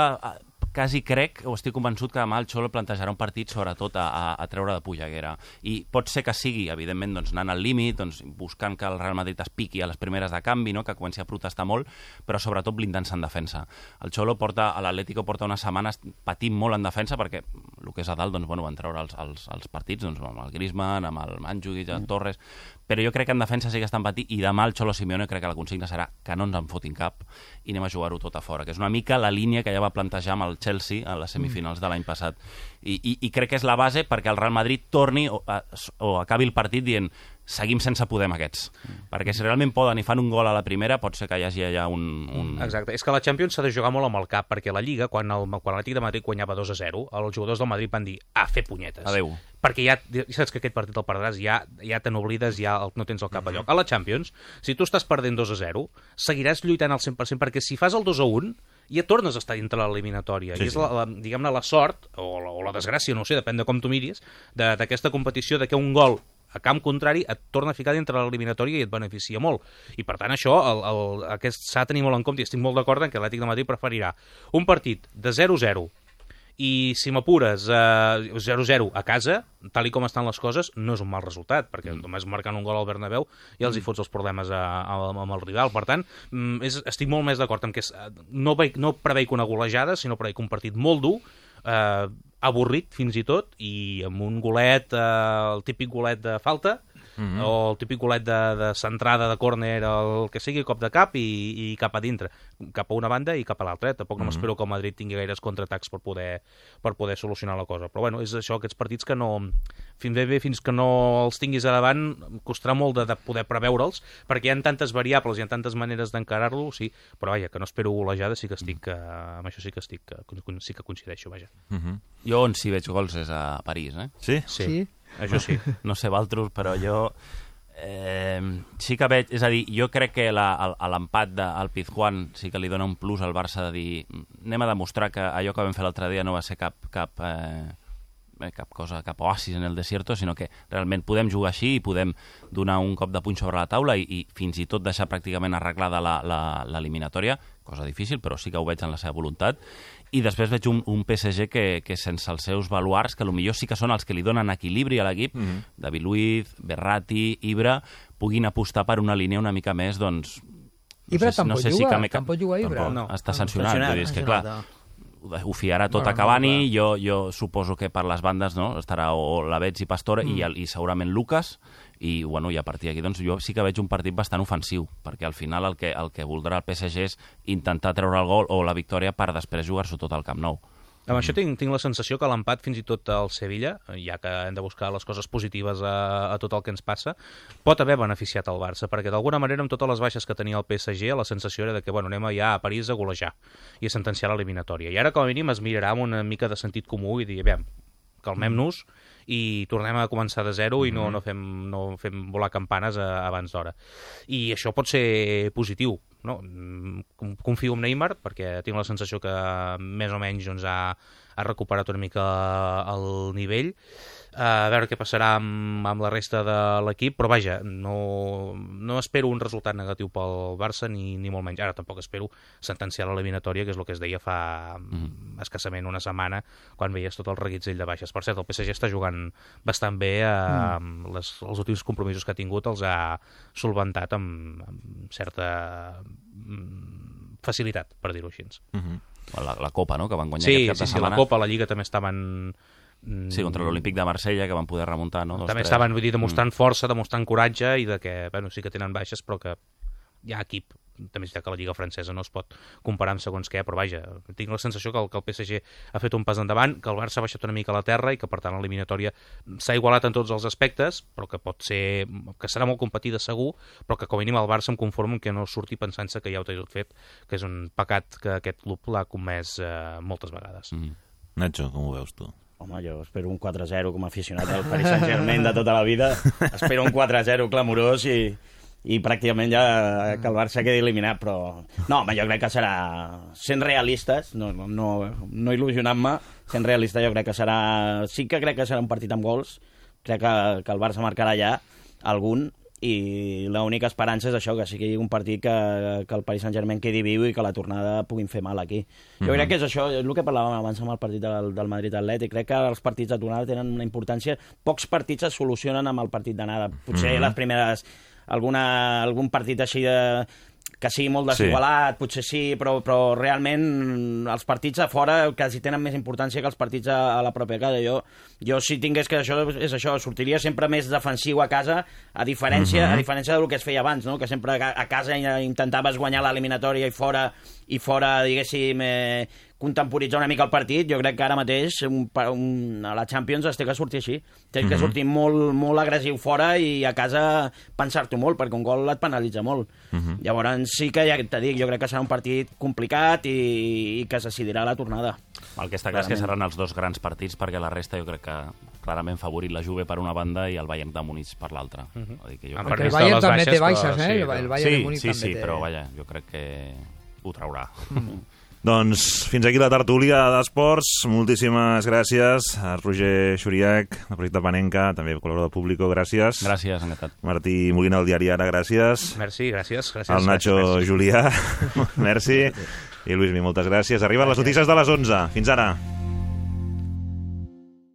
quasi crec, o estic convençut, que demà el Xolo plantejarà un partit sobretot a, a, a treure de polleguera. I pot ser que sigui, evidentment, doncs, anant al límit, doncs, buscant que el Real Madrid es piqui a les primeres de canvi, no? Que comenci a protestar molt, però sobretot blindant-se en defensa. El Xolo porta, a l'Atlético porta unes setmanes patint molt en defensa, perquè el que és a dalt, doncs, bueno, van treure els, els, els partits doncs, amb el Griezmann, amb el Mandzukic, el Torres, però jo crec que en defensa sí que estan patint, i demà el Xolo Simeone crec que la consigna serà que no ens en fotin cap i anem a jugar-ho tot a fora, que és una mica la línia que ja va plantejar amb el Chelsea a les semifinals de l'any passat. I, i, i crec que és la base perquè el Real Madrid torni o, a, o acabi el partit dient seguim sense poder amb aquests. Mm. Perquè si realment poden i fan un gol a la primera, pot ser que hi hagi allà un... un... Exacte. És que la Champions s'ha de jugar molt amb el cap, perquè la Lliga, quan el, quan l'Atlètic de Madrid guanyava dos a zero, els jugadors del Madrid van dir, a fer punyetes. Adéu. Perquè ja, ja saps que aquest partit el perdràs, ja, ja te n'oblides, ja el, no tens el cap a lloc. A la Champions, si tu estàs perdent dos a zero, seguiràs lluitant al cent per cent, perquè si fas el dos a un, ja tornes a estar dintre l'eliminatòria. Sí, I és, la, la, diguem-ne, la sort, o la, o la desgràcia, no ho sé, depèn de com tu miris, d'aquesta competició, de que un gol a camp contrari et torna a ficar dintre l'eliminatòria i et beneficia molt. I per tant això el, el, aquest s'ha de tenir molt en compte i estic molt d'acord en que l'Atlètic de Madrid preferirà un partit de zero a zero i si m'apures eh, zero a zero a casa, tal i com estan les coses, no és un mal resultat, perquè mm. només marcant un gol al Bernabéu ja els hi fots els problemes a, a, amb el rival. Per tant, és, estic molt més d'acord amb que és, no, veig, no preveic una golejada, sinó preveic un partit molt dur, eh, avorrit fins i tot, i amb un golet, eh, el típic golet de falta, mm-hmm. o el típic golet de, de centrada, de córner, el que sigui, cop de cap i, i cap a dintre, cap a una banda i cap a l'altra. Tampoc mm-hmm. no m'espero que el Madrid tingui gaires contraatacs per poder, per poder solucionar la cosa. Però bueno, és això, aquests partits que no... Fins bé, bé, fins que no els tinguis a davant, costarà molt de, de poder preveure'ls, perquè hi ha tantes variables, hi ha tantes maneres d'encarar-lo, sí, però vaja, que no espero golejada, sí que estic, uh, amb això sí que estic, uh, sí que coincideixo, vaja. Mm-hmm. Jo on sí veig gols és a París, eh? Sí? Sí, sí. Això sí. No sé, Valtros, però jo eh, sí que veig... És a dir, jo crec que l'empat del Pizjuán sí que li dona un plus al Barça de dir anem a demostrar que allò que vam fer l'altre dia no va ser cap... cap eh, cap cosa, cap oasis en el desierto, sinó que realment podem jugar així i podem donar un cop de puny sobre la taula i, i fins i tot deixar pràcticament arreglada l'eliminatòria, cosa difícil, però sí que ho veig en la seva voluntat. I després veig un, un P S G que, que sense els seus baluards, que potser sí que són els que li donen equilibri a l'equip, mm-hmm. David Luiz, Berratti, Ibra, puguin apostar per una línia una mica més, doncs... No Ibra sé, tampoc no sé juga, si tampoc juga Ibra. Tampoc, no. Està sancionat, sancionat, vull dir, és que clar... ho fiarà tot bueno, a Cavani, no, jo, jo suposo que per les bandes no estarà o Lavetz i Pastore mm. i, el, i segurament Lucas, i, bueno, i a partir d'aquí doncs, jo sí que veig un partit bastant ofensiu, perquè al final el que, el que voldrà el P S G és intentar treure el gol o la victòria per després jugar-s'ho tot al Camp Nou. Amb això tinc, tinc la sensació que l'empat fins i tot al Sevilla, ja que hem de buscar les coses positives a, a tot el que ens passa, pot haver beneficiat el Barça, perquè d'alguna manera amb totes les baixes que tenia el P S G la sensació era de que bueno, anem ja a París a golejar i a sentenciar l'eliminatòria. I ara com a mínim es mirarà amb una mica de sentit comú i dir, aviam, calmem-nos i tornem a començar de zero i no, no, fem, no fem volar campanes a, abans d'hora. I això pot ser positiu. No? Confio en Neymar perquè tinc la sensació que més o menys doncs, ha, ha recuperat una mica el nivell, a veure què passarà amb, amb la resta de l'equip, però vaja, no, no espero un resultat negatiu pel Barça ni, ni molt menys. Ara tampoc espero sentenciar l'eliminatòria, que és el que es deia fa mm. escassament una setmana quan veies tot el reguitzell de baixes. Per cert, el P S G està jugant bastant bé, eh, mm. les, els últims compromisos que ha tingut els ha solventat amb, amb certa facilitat, per dir-ho així. Mm-hmm. La, la Copa, no?, que van guanyar sí, aquest cap sí, de sí, setmana. Sí, la Copa, la Lliga també estaven... Sí, contra l'Olímpic de Marsella, que van poder remuntar, no? Dos, també tres. estaven, vull dir, demostrant mm. força, demostrant coratge i de que, bueno, sí que tenen baixes, però que hi ha equip. També és que la Lliga francesa no es pot comparar amb segons què, però vaja, tinc la sensació que el, que el P S G ha fet un pas endavant, que el Barça ha baixat una mica a la terra i que, per tant, l'eliminatòria s'ha igualat en tots els aspectes, però que pot ser... que serà molt competida segur, però que com a mínim el Barça em conformo que no surti pensant-se que ja ho té tot fet, que és un pecat que aquest club l'ha comès eh, moltes vegades. Mm. Nacho, com ho veus tu? Home, jo espero un quatre a zero com a aficionat del Paris Saint-Germain de tota la vida. Espero un quatre a zero clamorós i, i pràcticament ja que el Barça quedi eliminat, però... No, home, jo crec que serà... Sent realistes, no, no, no il·lusionant-me, sent realista jo crec que serà... Sí que crec que serà un partit amb gols, crec que, que el Barça marcarà ja algun, i l'única esperança és això, que sigui un partit que, que el Paris Saint-Germain quedi viu i que la tornada puguin fer mal aquí. Jo mm-hmm. crec que és això, és el que parlàvem abans amb el partit del, del Madrid-Atlètic. Crec que els partits de tornada tenen una importància. Pocs partits es solucionen amb el partit d'anada. Potser mm-hmm. les primeres... Alguna, algun partit així de... que sigui molt desigualat, sí. potser sí, però, però realment els partits a fora quasi tenen més importància que els partits a, a la pròpia casa. Jo, jo si tingués que això és això, sortiria sempre més defensiu a casa, a diferència, uh-huh. a diferència del que es feia abans, no? Que sempre a casa intentaves guanyar l'eliminatòria i fora, i fora, diguéssim, eh, contemporitzar una mica el partit. Jo crec que ara mateix un, un, a la Champions es té que sortir així. Té que sortir molt, molt agressiu fora i a casa pensar-t'ho molt, perquè un gol et penalitza molt. Uh-huh. Llavors sí que, ja te dic, jo crec que serà un partit complicat i, i que es decidirà la tornada. El que està clar és que seran els dos grans partits, perquè la resta jo crec que clarament favorit la Juve per una banda i el Bayern de Múnich per l'altra. Uh-huh. Perquè el Bayern també té baixes, eh? Sí, el Bayern sí, de Múnich sí, també sí, té... però vaja, jo crec que ho traurà. Mm. Doncs fins aquí la tertúlia d'esports. Moltíssimes gràcies a Roger Xuriac, del projecte Panenka, també col·laborador de Público, gràcies. Gràcies, encantat. Martí Molina, del diari Ara, gràcies. Merci, gràcies. gràcies El Nacho gràcies. Julià, merci. I Luismi, moltes gràcies. Arriben les notícies de les onze. Fins ara.